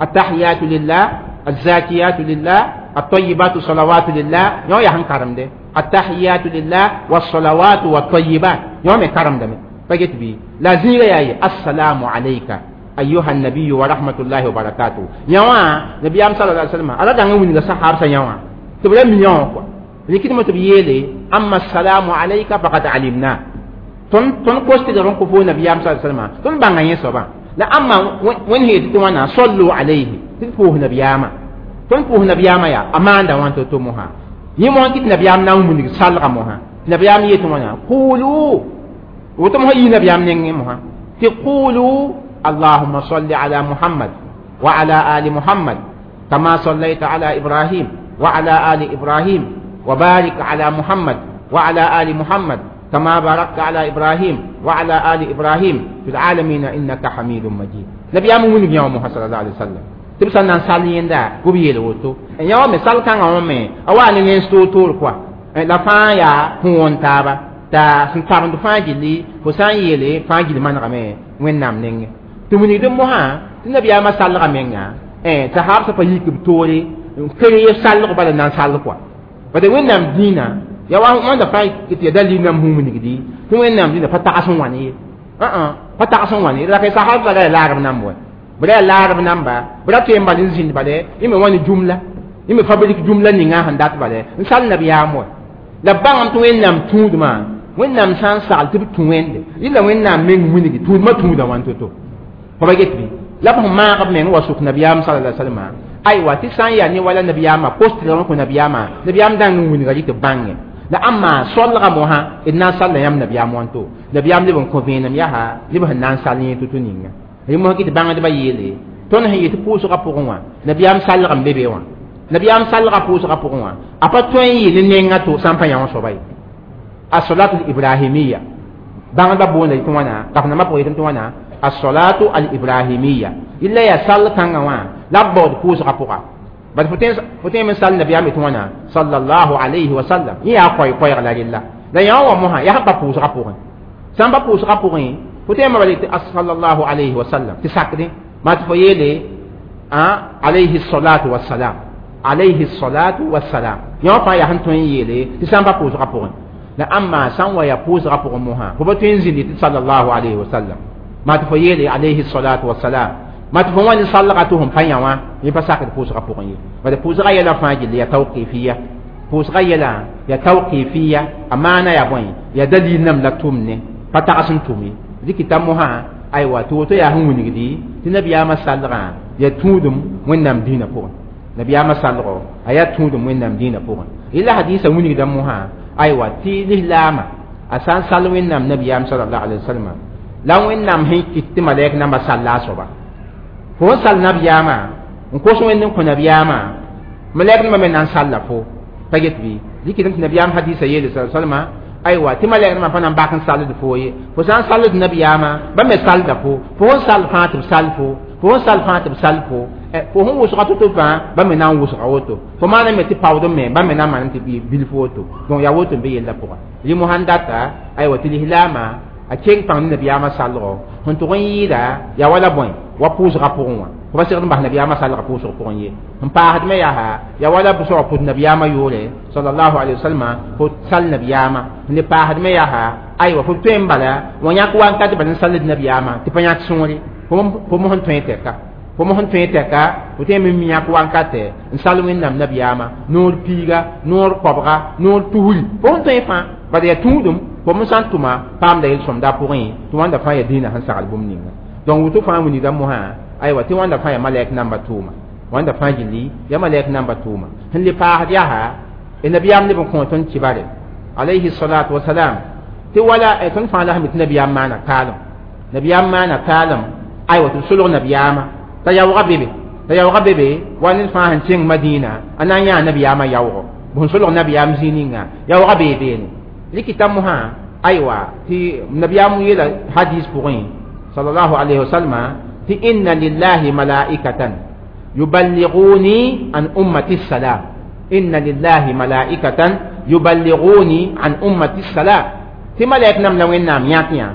التحيات لله الزاكيات لله الطيبات صلوات لله يو يهن كرم ده التحيات لله والصلوات والطيبات يوم كرم ده فقلت بي لا زيغ يا السلام عليك أيها النبي ورحمة الله وبركاته يوا نبي أم صلى الله عليه وسلم على دعوة من الصحابة يوا تبلا مليون كوا لكن ما تبيلي أما السلام عليك فقد علمنا تون تون كوستي درون كفو نبي أم صلى الله عليه وسلم تون بانغ يسوبا La amma wẽnd sẽn yetɩ tɩ wãna sallu alayhi tɩ d pʋʋs nabiyaamã tõnd pʋʋs nabiyaamã yaa a maanda wãn to-to mosã yẽ mosã kɩ tɩ nabiyaam na n wilg salga mosã nabiyaam yetɩ wãna qulu woto mosã yii nabiyaam nengẽ mosã tɩ qulu allahumma salli ala muhammad wa ala ali muhammad kama sallaita ala ibrahim wa ala ali ibrahim wa barik ala muhammad wa ala ali muhammad كما باركت على إبراهيم وعلى آل إبراهيم في العالمين إنك حميد مجيد. نبي أمو من يوم محمد صلى الله عليه وسلم تبصر نان سالين دا غبي يلوتو يوم سال كان يوم أواني نستو تور كوا لا فان يا هون تابا تا سنتابن فان جلي فسان يلي فان جلي من رمي وين نام نينغ تمني دم موها النبي أما سال رمينغا تهاب سفيك بتوري كريه سال قبل نان سال كوا بدي وين نام دينا ya wa wãnda fãa tɩ ya dalil nam sẽn wilgdi tɩ wẽnnaam dĩnã pa tags n wãn ye pa tags n wãn ye la ka sahab la ya laarb namba wa b ra ya laarb namba b ra tõe n bal n zĩnd bale yẽ me wã ne jumla yẽ me fabrik jumla ninga sẽn dat bale n sal nabiyaam wa la bãngame tɩ wẽnnaam tũudmã wẽnnaam sã n sagl tɩ b tũ wẽnde yɩla wẽnnaam meng wilgi tũudmã tũuda wãn to-to fo ba get bɩ la b sẽn maag b meng wa sʋk nabiyaam sala alai salama aywa tɩ sã n yaa ne wala nabiyaamã kos-tɩrgã kõ nabiyaamã nabiyaam dãng n wilga rɩ tɩ bãnge la amma solga moha n na n salla yãmb nabiyaam wãnto nabiyaam leb n kõ vẽenem yaa neb sẽn na n sall yẽ to-to ninga rẽ mosã tɩ bãngdbã yeele tõnd sẽn yet pʋʋsgã pʋgẽ wã nabiyaam salg n be be wã nabiyaam salgã pʋʋsgã pʋgẽ wã a pa tõe n yɩ ne nengã to sã n pa yã wã soaba ye as-salatu al-ibrahimiyya bãngdbã boonda tɩ wãna kaf-nambã pʋgẽ yetɩ tɩ wãna as-salatu al-ibrahimiyya illa yaa sall kãngã wã la b baood pʋʋsgã pʋga bal fo tõe n sall nabiyaam tɩ wãna sallallahu alayhi wa sallam yẽ yaa koɛɛ-koɛɛg la rella la yã wã mosã yaa sẽn pa pʋʋsgã pʋgẽ sã n pa pʋʋsgã pʋgẽ fo tõe n bala tɩ sallallahu alayhi wa sallam tɩ sakdẽ maa tɩ fo yeele alayhi salatu wassalam alayhi salatu wassalam yã wã fãa yaa sẽn tõe n yeele tɩ sã n pa pʋʋsgã pʋgẽ la amma sã n wa yaa pʋʋsgã pʋgẽ mosã fo pa tõe n zĩndi tɩ sallallahu alayhi wa sallam maa tɩ fo yeele alayhi salatu wassalam ma tɩ fo wã ne salga tɩ sẽn pa yã wã yẽ pa sakd pʋʋsgã pʋgẽ ye bala pʋʋsgã yɛla fãa gilli yaa tawqifiya pʋʋsgã yɛla yaa tawqifiya a maana yaa bõe yaa dalil nam la tʋm ne pa tags n tʋm ye dɩkɩta mosã aywa tɩ woto yaa sẽn wilgdi tɩ nabiyaamã salgã yaa tũudum wẽnnaam dĩinã pʋgẽ nabiyaamã salgo a yaa tũudum wẽnnaam dĩinã pʋgẽ yella hadisa wilgda mosã aywa tɩ lislaamã a sã n sall wẽnnaam nabiyaam salallahu alayhi wa sallam la wẽnnaam sẽn kɩt tɩ malɛk namba salla a soaba fo n sall nabiyaamã n kos wẽnd n kõ nabiyaamã malɛk nembã me na n salla fo pa get bɩ dɩkɩdame tɩ nabiyaam hadisa yeele sa salma aywa tɩ malɛk nembã pa na n bak n salld fo ye fo sã n salld nabiyaamã ba me salda fo fo n sall fãa tɩ b sall fo fo n sall fãa tɩ b sall fo fo sẽn wʋsga to-to fãa ba me na n wʋsga woto fo maana me tɩ paood me ba me na n manem tɩ bilf woto donc yaa woto n be yella pʋga rɩ mosã n data aywa tɩ lislaamã a keng pãng ne nabiyaamã salgo sẽn tʋg n yɩɩda yaa wala bõe wa pʋʋsgã pʋgẽ wã fo pa segd n bas nabiyaamã salgã pʋʋsg pʋgẽ ye n paasd me yaa yaa wala soaba pʋt nabiyaamã yʋʋre sallallahu alayhi wa sallam fo sall nabiyaamã n le paasd me yaa aywa fo tõe n bala wã yãk wankat bala n salld nabiyaamã tɩ pa yãk sõore fo mos n tõe tɛka fo mos n tõe tɛka fo tõe n mi yãk wankatɛ n sall wẽnnaam nabiyaamã noor piiga noor koabga noor tusri fo sẽn tõe fãa bala yaa tũudum fo me sã n tʋma paamda yel-sõmda pʋgẽ tɩ wãnda fãa yaa dĩinã sẽn sagl bũmb ninga donc woto fãa wilgda mosã aywa tɩ wãnda fãa yaa malɛk namba tʋʋma wãnda fãa gilli yaa malɛk namba tʋʋma sẽn le paasd yaa nabiyaam leb n kõ tõnd kibare alayhi salatu wasalam tɩ wala tõnd fãa la sẽn be tɩ nabiyaam maana kaalem nabiyaam maana kaalem aywa tɩ b solg nabiyaamã t'a yaoogã bebe t'a yaoogã bebe wa ned fãa sẽn kẽng madina a na n yãa nabiyaamã yaoogo b sẽn solg nabiyaam zĩig ninga yaoogã bee beene rɩkɩta mosã aywa tɩ nabiyaam yeela hadis pʋgẽ sallallahu alayhi wa sallam tɩ inna lillahi malaikatan yuballighuni an ummati salam inna lillahi malaikatan yuballighuni an ummati salam tɩ malɛk nam la wẽnnaam yãk yã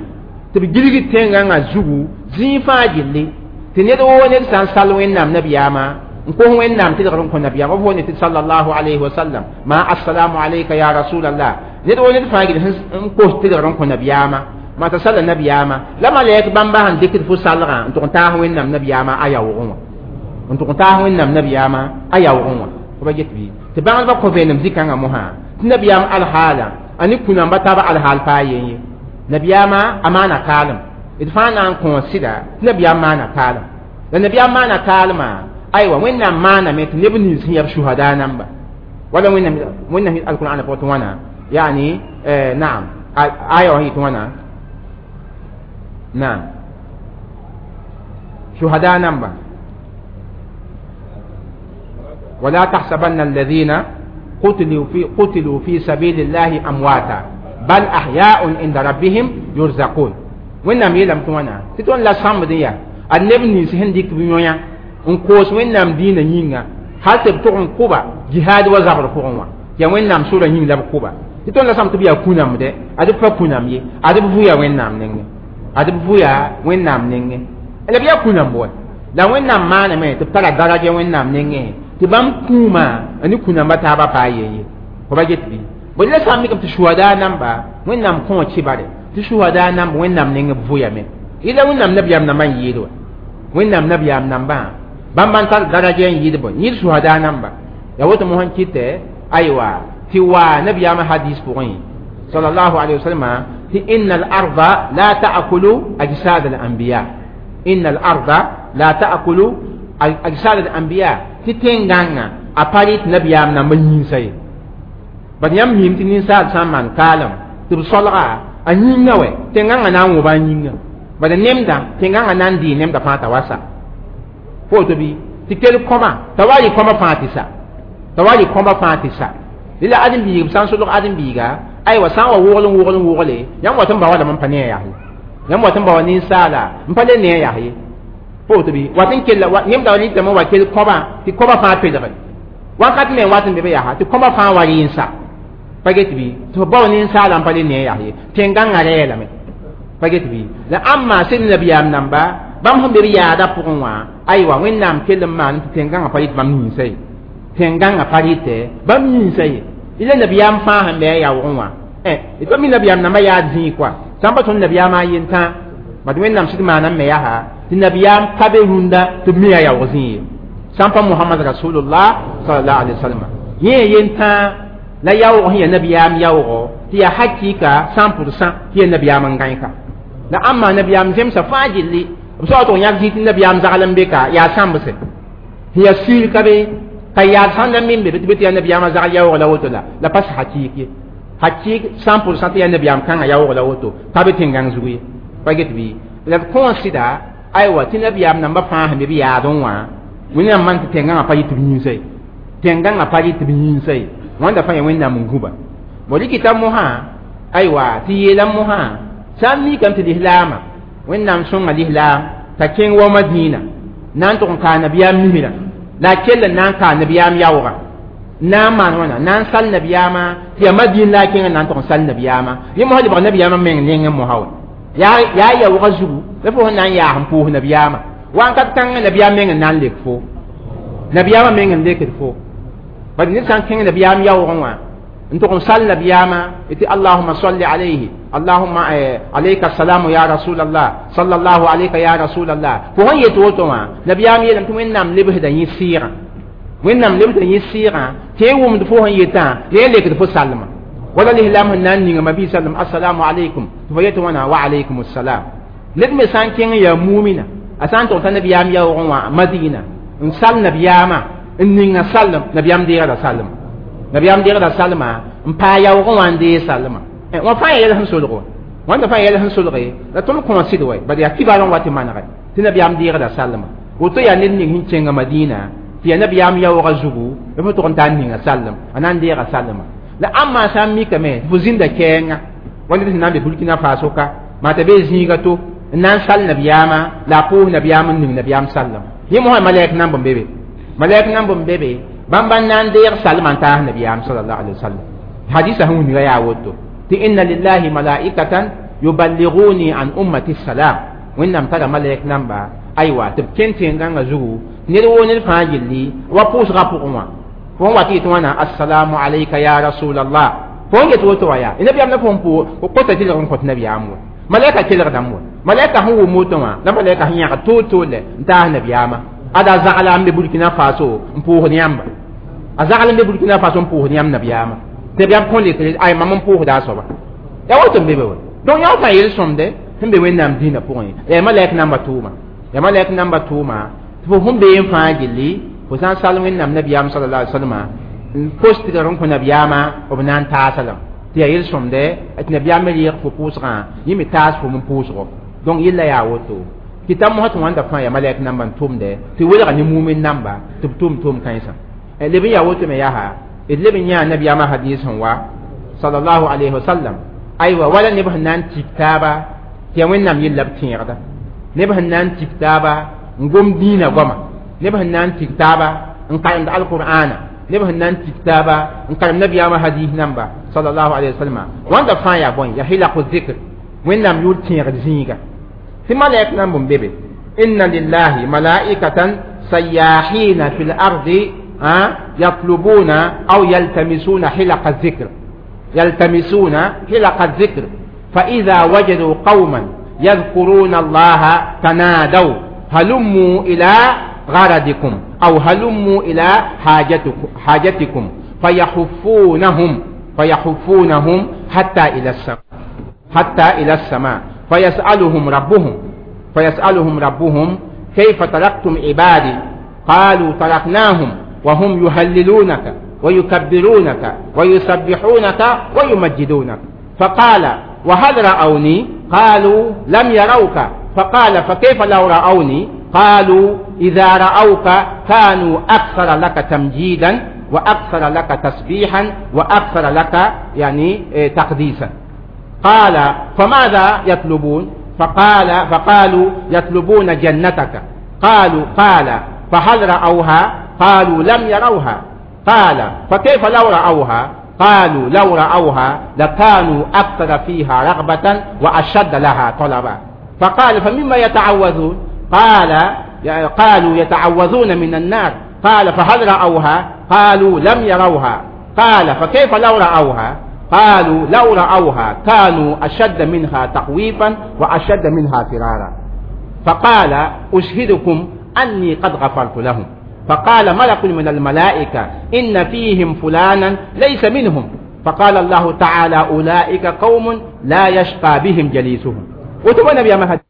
tɩ b gilg tẽngãngã zugu zĩig fãa gilli tɩ ned woo ned sã n sall wẽnnaam nabiyaamã n kos wẽnnaam tɩlgr n kõ nabiyaam b foone tɩ sallallahu alayhi wa sallam ma assalamu alayka ya rasulallah ned woo ned fãa gil n kos tɩlgr n kõ nabiyaamã ma t'a salla nabiyaamã la malɛk bãmba sẽn dɩkd fo salgã n tʋg n taas wẽnnaam nabiyaamã a yaoogẽ wã n tʋg n taas wẽnnaam nabiyaamã a yaoogẽ wã fo ba get bɩ tɩ bãngdbã kõ vẽenem zĩ-kãngã mosã tɩ nabiyaam alhaala a ne kũnamba taaba alhaal paa yen ye nabiyaamã a maana kaalem D fãa na n kõ sɩda tɩ nabiyaam maana kaalem la nabiyaam maana kaalmã aywa wẽnnaam maaname tɩ neb nins sẽn yaa b shuhada namba wala wẽnnaam alqur'ana pʋgẽ tɩ wãna yani naam aya wã yɩ tɩ wãna naam shuhada namba ولا تحسبن الذين قتلوا في سبيل الله أمواتا بل أحياء عند ربهم يرزقون wẽnnaam yeelame tɩ wãna tɩ tõnd la sãmbd n yaa a neb nins sẽn dɩk b yõya n koos wẽnnaam dĩinã yĩnga hal tɩ b tʋg n kʋba jihaad wa zabr pʋgẽ wã yaa wẽnnaam sora yĩng la b kʋba tɩ tõnd la sãmb tɩ b yaa kũnamdɛ ad b pa kũnam ye ad b vʋya wẽnnaam nengẽ ad b vʋya wẽnnaam nengẽ la b yaa kũnamb wa la wẽnnaam maaname tɩ b tara daraja wẽnnaam nengẽ tɩ bãmb kũumã a ne kũnambã taabã paa yen ye fo ba get bɩ bõe la sã n mikame tɩ suhada namba wẽnnaam kõ kibare tɩ suhada namba wẽnnaam neng b vʋyame yɩla wẽnnaam nabiyaam nambã n yɩɩd wa wẽnnaam nabiyaam nambã bãmb n tar daraja n yɩɩd bõe yɩɩd suhada namba ya woto mosã kɩtɛ aywa tɩ wa nabiyaamã hadis pʋgẽ sallallahu alaihi wasallam tɩ inna al-arda la ta'kulu ajsad al-anbiya inna al-arda la ta'kulu ajsad al-anbiya tɩ tẽn-gãngã a pa rɩt nabiyaam nambã yĩnsa ye bad yãmb miim tɩ ninsaal sã n maan kaalem tɩ b solga a yĩnga wɛ tẽn-gãngã na n wõba a yĩnga bad nemdã tẽn-gãngã na n dɩɩ nemdã fãa t'a wa sa fo woto bɩ tɩ kell kõma t'a wa rɩ kõma fãa tɩ sa t'a wa rɩ kõma fãa tɩ sa la ãdem-biig b sã n solg ãdem-biiga aywa sã n wa wogl n wogl n wogle yãmb wat n ba walame n pa ne a yaa ye yãmb wat n ba wa ninsaala n pa le ne a yaa ye fo woto bɩ wat n kella nemda wa rɩtame wa kell kõba tɩ kõba fãa pelge wakat me wat n be be yaa tɩ kõba fãa wa rɩ n sa pa get bɩ tɩ f bao ninsaala n pa le ne a yaa ye tẽn-gãngã rɛɛlame pa get bɩ la ãmma sẽd nabiyaam namba bãmb sẽn be b yaada pʋgẽ wã aywa wẽnnaam kell n maan tɩ tẽn-gãngã pa rɩt bãmb yĩnsa ye tẽn-gãngã pa rɩtɛ bãmb yĩnsa ye ila nabiyaam fãa sẽn be a yaoogẽ wã d pa mi nabiyaam nambã yaad zĩig kɔa sã n pa tõnd nabiyaamã a yentã bad wẽnnaam sɩd maana n me yaa tɩ nabiyaam ka be rũndã tɩ b mi a yaoog zĩig ye sã n pa Muhammad rasulullah sallallahu alaihi wasallam yẽ yentã la yaoog sẽn yaa nabiyaam yaoogo tɩ yaa hakɩɩka 100% tɩ yaa nabiyaam n gãe ka la ãmma nabiyaam zemsa fãa gilli b soa tɩ yãk zĩig tɩ nabiyaam zagl n be ka yaa sãmbse sẽn yaa sɩɩr ka be ka yaad sãn da min be tɩ be tɩ yaa nabiyaamã zagl yaoog la woto la pas hakɩɩk ye hakɩɩk 100% tɩ yaa nabiyaam kãngã yaoog la woto pa be tẽn-gãng zug ye pa get bɩ la d kõ sɩda aywa tɩ nabiyaam nambã fãa sẽn be b yaadẽ wã wẽnnaam maan tɩ tẽn-gãngã pa yɩ tɩ b yĩnsa ye tẽn-gãngã pa yɩ tɩ b yĩnsa ye wãnda fãa yaa wẽnnaam n gũba bo rɩkɩta mosã aywa tɩ yeela mosã sã n mikame tɩ lislaamã wẽnnaam sõnga lislaam t'a kẽng wa Madina na n tʋg n kaa nabiyaam misrã la a kell n na n kaa nabiyaam yaoogã na n maan wãna na n sal nabiyaamã tɩ yaa Madin la a kẽngã na n tʋg n sal nabiyaamã yẽ mosã lebg nabiyaamã meng nengẽ mosã wa yaa yaoogã zugu la fo sẽn na n yaas n pʋʋs nabiyaamã wãnkat kãngã nabiyaam meng n na n lek fo nabiyaamã meng n lekd fo bad ned sã n kẽng nabiyaam yaoogẽ wã n tʋg n sal nabiyaamã tɩ allahuma salli alayhi allahumma alayka assalamu ya rasulallah sallallahu alayka ya rasulallah fo sẽn yet woto wã nabiyaam yeelame tɩ wẽnnaam lebsda yẽ sɩɩgã wẽnnaam lebsda yẽ sɩɩgã tɩ yẽ wʋmd fo sẽn yetã la yẽ lekd fo salma wala lislaam sẽn na n ninga mabi sallam assalamu alaykum tɩ fo yet wãna wa alaykum assalam ned me sã n kẽng yaa mumina a sã n tʋg t'a nabiyaam yaoogẽ wã Madina n sal nabiyaamã n ninga salem nabiyaam deegda salma nabiyaam deegda salma n paa yaoogẽ wã n deeg salma wã fãa yaa yɛl sẽn solg wa wãnda fãa yɛl sẽn solge la tõnd kõ sɩd wa bad yaa kibar n wa tɩ manege tɩ nabiyaam deegda salma woto yaa ned ning sẽn kẽnga Madina tɩ yaa nabiyaam yaoogã zugu la fo tʋg n taa n ninga salem a na n deega salma la ãmma sã n mikame tɩ fo zĩnda kɛɛnga wa ned sẽn na n be Burkina Faso ka maa t'a bee zĩiga to n na n sal nabiyaamã la a pʋʋs nabiyaam n ning nabiyaam sallem yẽ mosã malɛk namb n be be malɛk namb n be be bãmb n na n deeg salmã n taas nabiyaam sallallahu alaihi wasallam hadisa sẽn wilga yaa woto tɩ inna lillahi malaikatan yuballighuni an ummati salam wẽnnaam tara malɛk namba aywa tɩ b kẽn tẽn-gãngã zugu ned woo ned fãa gilli wa pʋʋsgã pʋgẽ wã fo n wa tɩ yetɩ wãna assalamu alayka ya rasulallah fo n get woto wa yaa nabiyaam la fo n kota tɩlg n kõt nabiyaam wa malɛka kelgdame wa malɛka sẽn wʋm woto wã la malɛka sẽn yãgd toor-toor lɛ n taas nabiyaamã ada zagla n be Burkina Faso n pʋʋsd yãmba a zagl n be Burkina Faso n pʋʋsd yãmb nabiyaamã tɩ nabiyaam kõ lekre ay mam n pʋʋsda a soaba yaa woto n be be wa donc yã fãa yel-sõmde Sẽn be Wẽnnaam dĩinã pʋgẽ yaa malɛk namba tʋʋma yaa malɛk namba tʋʋma tɩ fo sẽn bee n fãa gilli fo sã n sal Wẽnnaam nabiyaam sallallahu alaihi wasallam n kos tigr n kõ nabiyaamã b na n taasa lame tɩ yaa yel-sõmdɛ tɩ nabiyaam me reeg fo pʋʋsgã yẽ me taas fo n pʋʋsgo donc yella yaa woto kɩta mosã tɩ wãnda fãa yaa malɛk namba n tʋmdɛ tɩ welga ne mumin namba tɩ b tʋm tʋʋm kãensã leb n yaa woto me yaa d leb n yãa nabiyaamã hadis sẽn wa sallallahu alayhi wasallam aywa wala neb sẽn na n tik taaba tɩ yaa Wẽnnaam yella b tẽegda neb sẽn na n tik taaba n gom dĩinã goama neb sẽn na n tik taaba n karemd alqur'ana neb sẽn na n tik taaba n karem nabiyaamã hadis namba sallallahu alayhi wasallam wãnda fãa yaa bõe yaa hilaqu zikr Wẽnnaam yʋʋr tẽegd zĩiga tɩ malɛk namb n be be inna lillahi malaikatan sayahina fi lardi yatlubuna aw yaltamisuna hilaqa zikr يلتمسون حلق الذكر فإذا وجدوا قوما يذكرون الله تنادوا هلموا إلى غرضكم أو هلموا إلى حاجتكم فيحفونهم حتى إلى السماء فيسألهم ربهم كيف تركتم عبادي قالوا تركناهم وهم يهللونك ويكبرونك ويسبحونك ويمجدونك فقال وهل رأوني قالوا لم يروك فقال فكيف لو رأوني قالوا إذا رأوك كانوا أكثر لك تمجيدا وأكثر لك تسبيحا وأكثر لك يعني تقديسا قال فماذا يطلبون فقالوا يطلبون جنتك قال فهل رأوها قالوا لم يروها قال فكيف لو رأوها قالوا لو رأوها لكانوا أكثر فيها رغبة وأشد لها طلبا فقال فمما يتعوذون قالوا يتعوذون من النار قال فهل رأوها قالوا لم يروها قال فكيف لو رأوها قالوا لو رأوها كانوا أشد منها تخويفا وأشد منها فرارا فقال أشهدكم أني قد غفرت لهم فقال ملك من الملائكة إن فيهم فلانا ليس منهم فقال الله تعالى أولئك قوم لا يشقى بهم جليسهم وتبنى نبي مهد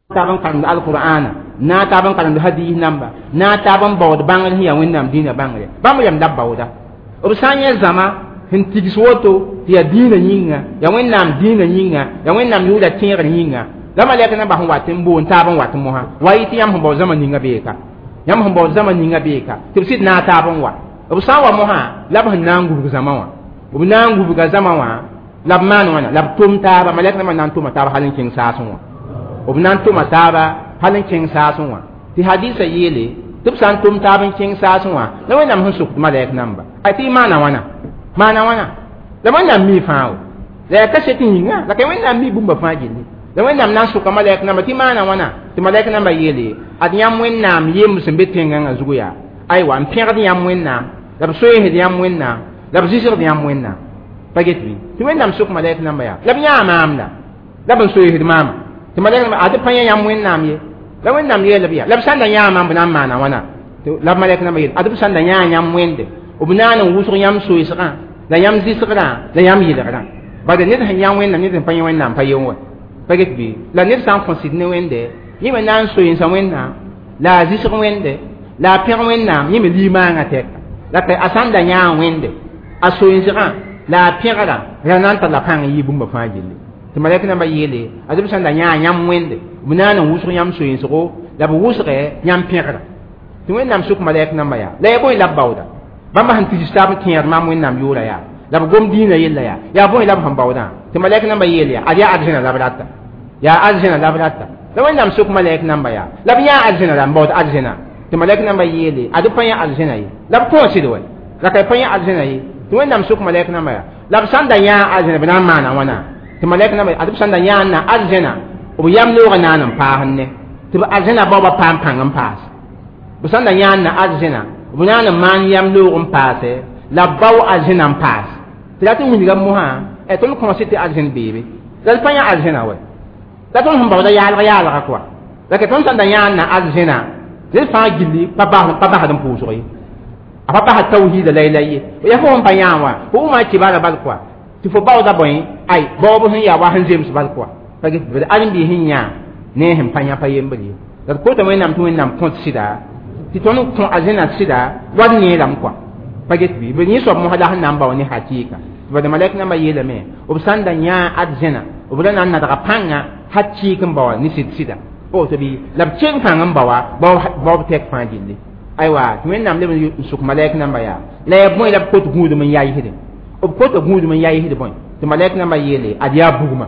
taban karemd alqur'ana na taban karemd hadis namba na taban baood bãngr sẽn yaa Wẽnnaam dĩinã bãngre bãmb yam la b baooda b sã n yẽ zãma sẽn tigs woto tɩ yaa dĩinã yĩnga yaa Wẽnnaam dĩinã yĩnga yaa Wẽnnaam yʋʋra tẽegr yĩnga la malɛk namba sẽn wat n boond taab n wat mosã wa yɩ tɩ yãmb sẽn baood zãma ninga beeka yãmb sẽn baood zãma ninga beeka tɩ b sɩd na taab n wa b sã n wa mosã la b sẽn na n gubg zãma wã b na n gubga zãma wã la b maan wãna la b tʋm taaba malɛk namba na n tʋma taab hal n kẽng saasẽ wã b na n tʋma taaba hal n kẽng saasẽ wã tɩ hadisa yeele tɩ b sã n tʋm taab n kẽng saasẽ wã la Wẽnnaam sẽn sokd malɛk namba a tɩ y maana wãna la Wẽnnaam mi fãa wo la yaa kaset yĩnga la ka Wẽnnaam mi bũmba fãa gilli la Wẽnnaam na n soka malɛk namba tɩ maana wãna tɩ malɛk namba yeele ad yãmb Wẽnnaam yemb sẽn be tẽngãngã zugu yaa aywa n pẽgd yãmb Wẽnnaam la b soeesd yãmb Wẽnnaam la b zɩsgd yãmb Wẽnnaam pa get bɩ tɩ Wẽnnaam sok malɛk namba yaa la b yãa maam la b n soeesd maama tɩ malɛk namba ad pa yã yãmb Wẽnnaam ye la Wẽnnaam yeel b yaa la b sãn da yãa maam b na n maana wãna la b malɛk namba yeel ad b sãn da yãa yãmb wẽnde b naan n wʋsg yãmb soeesgã la yãmb zɩsgrã la yãmb yɩlgrã bala ned sẽn yã Wẽnnaam ned sẽn pa yã Wẽnnaam pa yen wa pa get bɩ la ned sã n kõ sɩd ne Wẽnde yẽ me na n soeensa Wẽnnaam la a zɩsg Wẽnde la a pẽg Wẽnnaam yẽ me limaangã tɛka la a sãn da yãa Wẽnde a soeensgã la a pẽgrã ra na n tara pãng n yɩ bũmba fãa gilli tɩ malɛk namba yeele ad b sãn da yãa yãmb wẽnde b naan n wʋsg yãmb soeensgo la b wʋsgɛ yãmb pẽgrã tɩ Wẽnnaam sʋk malɛk namba yaa la yaa bõe la b baooda bãmba sẽn tigs taab n tẽed maam Wẽnnaam yʋʋra yaa la b gom dĩinã yella yaa yaa bõe la b sẽn baoodã tɩ malɛk namba yeel yaa ad yaa arzẽna la b rata yaa arzẽna la b rata la Wẽnnaam sʋk malɛk namba yaa la b yãa arzẽna la n baood arzẽna tɩ malɛk namba yeele ad b pa yã arzẽna ye la b kõo sɩd wɛ la ka pa yã arzẽna ye tɩ Wẽnnaam sʋk malɛk namba yaa la b sãn da yãa arzẽna b na n maana wãna tɩ malɛk namba ad b sãn da yãa n na arzẽna b yam noogã naan n paas ne tɩ b arzẽna baoobã paam pãng n paas b sãn da yãa n na arzẽna b naan n maan yam noog n paase la b bao arzẽna n paas tɩ rat n wilga mosã tõnd kõose tɩ arzẽn beebe la d pa yã arzẽna wɛ La tõnd sẽn baooda yaalg yaalga kɔa la ke tõnd sẽn da yãanda arzẽna ned fãa gilli pa basd n pʋʋsg ye a pa basd tawhiida laylay ye yaa fo sẽn pa yãa wã fo wʋma kibara bal kɔa tɩ fo baooda bõe ay baoob sẽn yaa wa sẽn zems bal kɔa pa get bd ãrem-biis sẽn yã ne sẽn pa yã pa yembr ye la d kota Wẽnnaam tɩ Wẽnnaam kõt sɩda tɩ tõnd kõ arzẽna sɩda wa d neerame kɔa pa get bɩ b yẽ soab mosã la sẽn na n bao ne hakɩɩka tɩ bad malɛk nambã yeelame b sãn da yã arzẽna b ra na n nadga pãnga hakɩɩk n baoa ne sɩd sɩda woto bɩ la b keng pãng n baoa baoob tɛk fãa gilli aywa tɩ Wẽnnaam leb n sʋk malɛk namba yaa la yaa bõe la b kot gũudum n yaɩsdẽ b kota gũudum n yaɩsd bõe tɩ malɛk nambã yeele ad yaa bugmã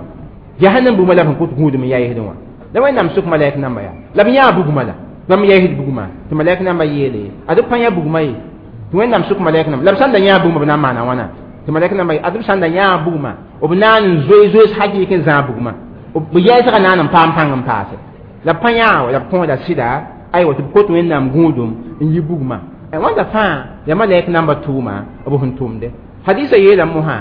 jahannam bugmã la b sẽn kot gũudum n yaɩsdẽ wã la Wẽnnaam sʋk malɛk namba yaa la b yãa bugmã la bãmb yaɩsd bugmã tɩ malɛk nambã yeele ad b pa yã bugmã ye tɩ Wẽnnaam sʋk malɛk namba la b sãn da yãa bugmã b na n maana wãna tɩ malɛk namba ad b sãn da yãa bugmã b naan n zoe zoees hakɩɩk n zãag bugmã b yɛɛsgã naan n paam pãng n paase la b pa yãa wa la b kõoda sɩda aywa tɩ b kot Wẽnnaam gũudum n yi bugmã wãnda fãa yaa malɛk namba tʋʋma b sẽn tʋmde hadisa yeelame mosã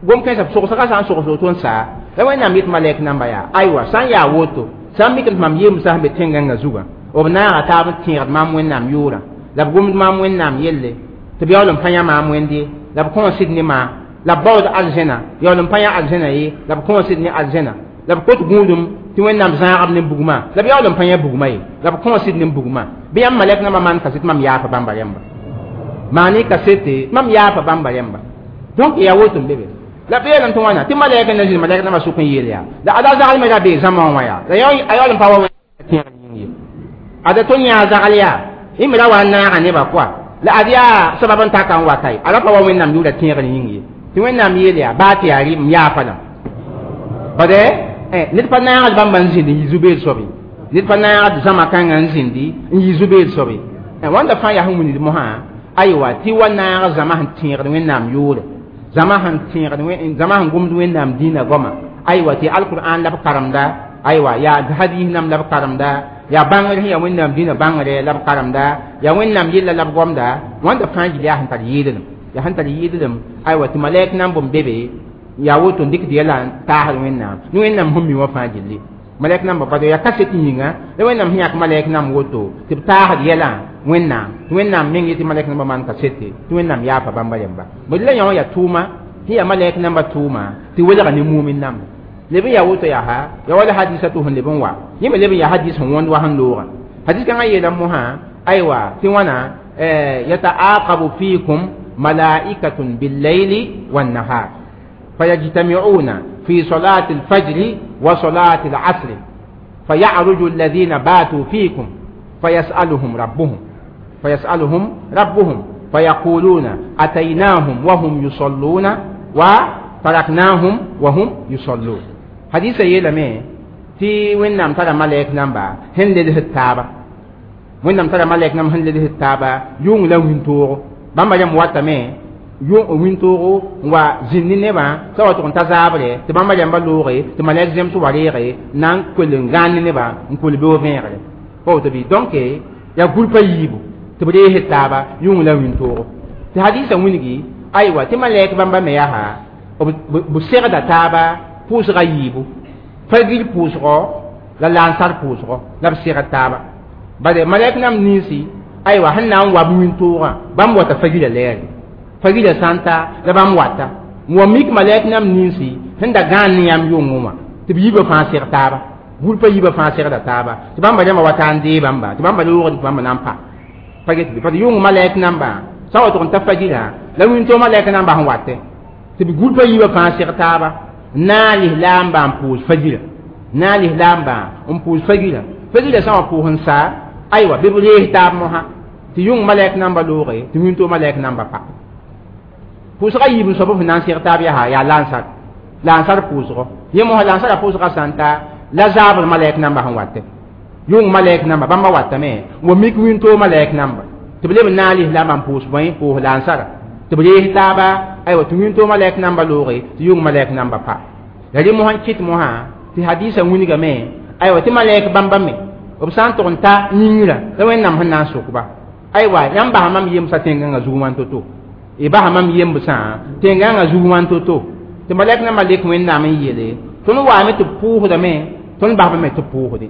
gom-kãensã sogsgã sã n sogs woto n saa la Wẽnnaam yet malɛk namba yaa aywa sã n yaa woto sã n mik tɩ mam yemsã sẽn be tẽn-gãngã zugã b naaga taab n tẽegd maam Wẽnnaam yʋʋrã la b gomd maam Wẽnnaam yelle tɩ b yaool n pa yã maam Wẽnde la b kõo sɩd ne maam la b baood arzẽna yaool n pa yã arzẽna ye la b kõo sɩd ne arzẽna la b kot gũudum tɩ Wẽnnaam zãagb ne bugmã la b yaool n pa yã bugmã ye la b kõo sɩd ne bugmã bɩ yãmb malɛk nambã maan kaset mam yaafa bãmba rẽmba maan-y kasete mam yaafa bãmba rẽmba donc yaa woto n be be la b yeelame tɩ wãna tɩ malɛk n na zĩnd malɛk nambã sʋk n yeel yaa la ada zaglmã ra bee zãma wã yaa la a yaool n pa wa tẽegr yĩng ye ada tõnd yãa zagl yaa y me ra wa n naaga nebã kɔa la ad yaa sabab n taka n wata ye a ra pa wa Wẽnnaam yʋʋra tẽegr yĩng ye tɩ Wẽnnaam yeel yaa baa tɩ yaa rɩ m yaafa lame bade ned pa naagd bãmba n zĩnd n yi zu-beed soab ye ned pa naagd zãma kãngã n zĩndi n yi zu-beed soab ye wãnda fãa yaa sẽn wilgd mosã aywa tɩ wa naag zãma sẽn tẽegd Wẽnnaam yʋʋre zãma sẽn tẽegd zãma sẽn gomd Wẽnnaam dĩinã goama aywa tɩ alqur'an la b karemda aywa yaa hadis nam la b karemda yaa bãngr sẽn yaa Wẽnnaam dĩinã bãngre la b karemda yaa Wẽnnaam yella la b gomda wãnda fãa gil yaa sẽn tar yɩɩdlem yaa sẽn tar yɩɩdlem aywa tɩ malɛk nan bõmb be be yaa woto n dɩkd yɛla n taasd Wẽnnaam ne Wẽnnaam sẽn mi wã fãa gilli malɛk namba bad yaa kaset yĩnga la Wẽnnaam sẽn yãk malɛk nam woto tɩ b taasd yɛlã Wẽnnaam tɩ Wẽnnaam meng yetɩ malɛk namba maan kasete tɩ Wẽnnaam yaafa bãmba rẽmba bd la yã wã yaa tʋʋma sẽn yaa malɛk namba tʋʋma tɩ welga ne mumin namba leb n yaa woto yaa ya wala hadisa tɩ sẽn leb n wa yẽ me leb n yaa hadis sẽn wõnd wa sẽn loogã hadis kãngã yeelame mosã aywa tɩ wãna yataaqabu fiikum malaikatun billayli wannahar فيجتمعون في صلاة الفجر وصلاة العصر فيعرج الذين باتوا فيكم فيسألهم ربهم فيقولون أتيناهم وهم يصلون وتركناهم وهم يصلون حديث يلمي tɩ Wẽnnaam tara malɛk namba sẽn leds taaba Wẽnnaam tara malɛk nam sẽn leds taaba yʋng la wĩntoogo bãmba rãmb watame wĩntoogo n wa zĩnd ne nebã sã wa tʋg n ta zaabre tɩ bãmba rãmba looge tɩ malɛk zems wa reege na n kell n gãan ne nebã n kol beoog vẽegre pa woto bɩ donc yaa gũrpã yiibu tɩ b rees taaba yʋng la wĩntoogo tɩ hadisa wilgi aywa tɩ malɛk bãmba me yaa b segda taaba pʋʋsga yiibu fagir pʋʋsgɔ la lansar pʋʋsgɔ la b segd taaba bade malɛk nam ninsi aywa sẽn na n wa b wĩntoogã bãmb wata fagira lɛɛre fagira sã n ta la bãmb wata n wa mik malɛk nam ninsi sẽn da gãan ne yãmb yʋngẽ wã tɩ b yiibã fãa seg taaba gũrpã yiibã fãa segda taaba tɩ bãmba rãmbã wata n dee bãmba tɩ bãmba loogd tɩ bãmba na n pa pa get bɩ parce yʋng malɛk nambã sã wa tʋg n ta fagirã la wĩntoog malɛk nambã sẽn watɛ tɩ b gũrpã yiibã fãa seg taaba na n lislaambã n pʋʋs fagira na n lislaambã n pʋʋs fagira fagira sã wã pʋʋs n sa aywa bɩ b rees taab mosã tɩ yʋng malɛk namba looge tɩ wĩntoog malɛk namba pa pʋʋsga yiib n soab f na n seg taab yaa yaa lansar lansar pʋʋsgɔ yẽ mosã lansarã pʋʋsgã sã n ta la zaabr malɛk namba sẽn watɛ yʋng malɛk namba bãmba watame wa mik wĩntoog malɛk namba tɩ b leb n na n lislaambã n pʋʋs bõe pʋʋs lansara tɩ b rees taaba aywa tɩ wĩntoog malɛk namba looge tɩ yʋng malɛk namba pa la rẽ mosã n kɩt mosã tɩ hadisa wilgame aywa tɩ malɛk bãmba me b sã n tʋg n ta yĩngrã la Wẽnnaam sẽn na n sʋk-ba aywa yãmb basa mam yemsã tẽn-gãngã zug wãn to-to y basa mam yembsã tẽn-gãngã zug wãn to-to tɩ malɛk nambã lek Wẽnnaam n yeele tõnd waame tɩ b pʋʋsdame tõnd basbame tɩ b pʋʋsdẽ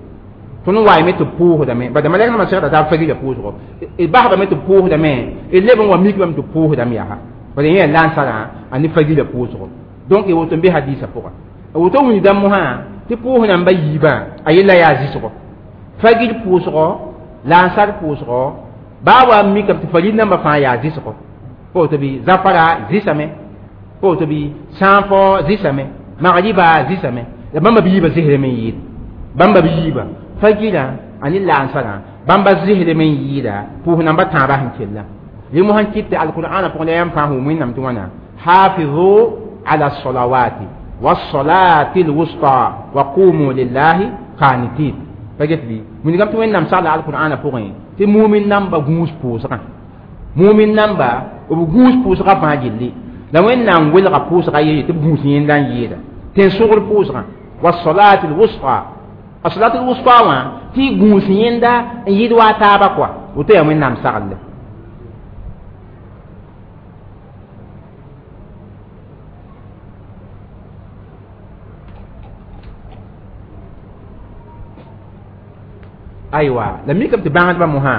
tõnd waayame tɩ b pʋʋsdame bala malɛk nambã segda t'a fagila pʋʋsgɔ d basbame tɩ b pʋʋsdame d leb n wa mikbame tɩ b pʋʋsdame yaa bala yẽ yaa lansarã a ne fagila pʋʋsgɔ donc y woto n be hadiisã pʋga woto wilgdã mosã tɩ pʋʋs namba yiibã a yella yaa zɩsgɔ fagil pʋʋsgɔ lansar pʋʋsgɔ baa wa n mikame tɩ fagil nambã fãa yaa zɩsgɔ pa woto bɩ zafara zɩsame pa woto bɩ sãafɔ zɩsame magriba zɩsame la bãmba b yiibã zɩsdame n yɩɩd bãmba b yiibã fagilã a ne lansarã bãmba zɩsdame n yɩɩda pʋʋs namba tãabã sẽn kella rẽ mosã n kɩt tɩ alqur'ana pʋgẽ la yãmb fãa sẽn wʋm wẽnnaam tɩ wãna hafizu ala salawati والصلاة الوسطى وقوموا لله قانتين فجت بي من قمت وين نام صلى القرآن فوقين تي مؤمن نام بغوس بوسرا مؤمن نام با بغوس بوسرا فاجلي لا وين نام ويل بوسرا يي تي بغوس يندان ييدا تي سوغر بوسرا والصلاة الوسطى الصلاة الوسطى وا تي غوس يندا يدوا تابا كوا وتي وين نام سال aywa la mikame tɩ bãngdbã mosã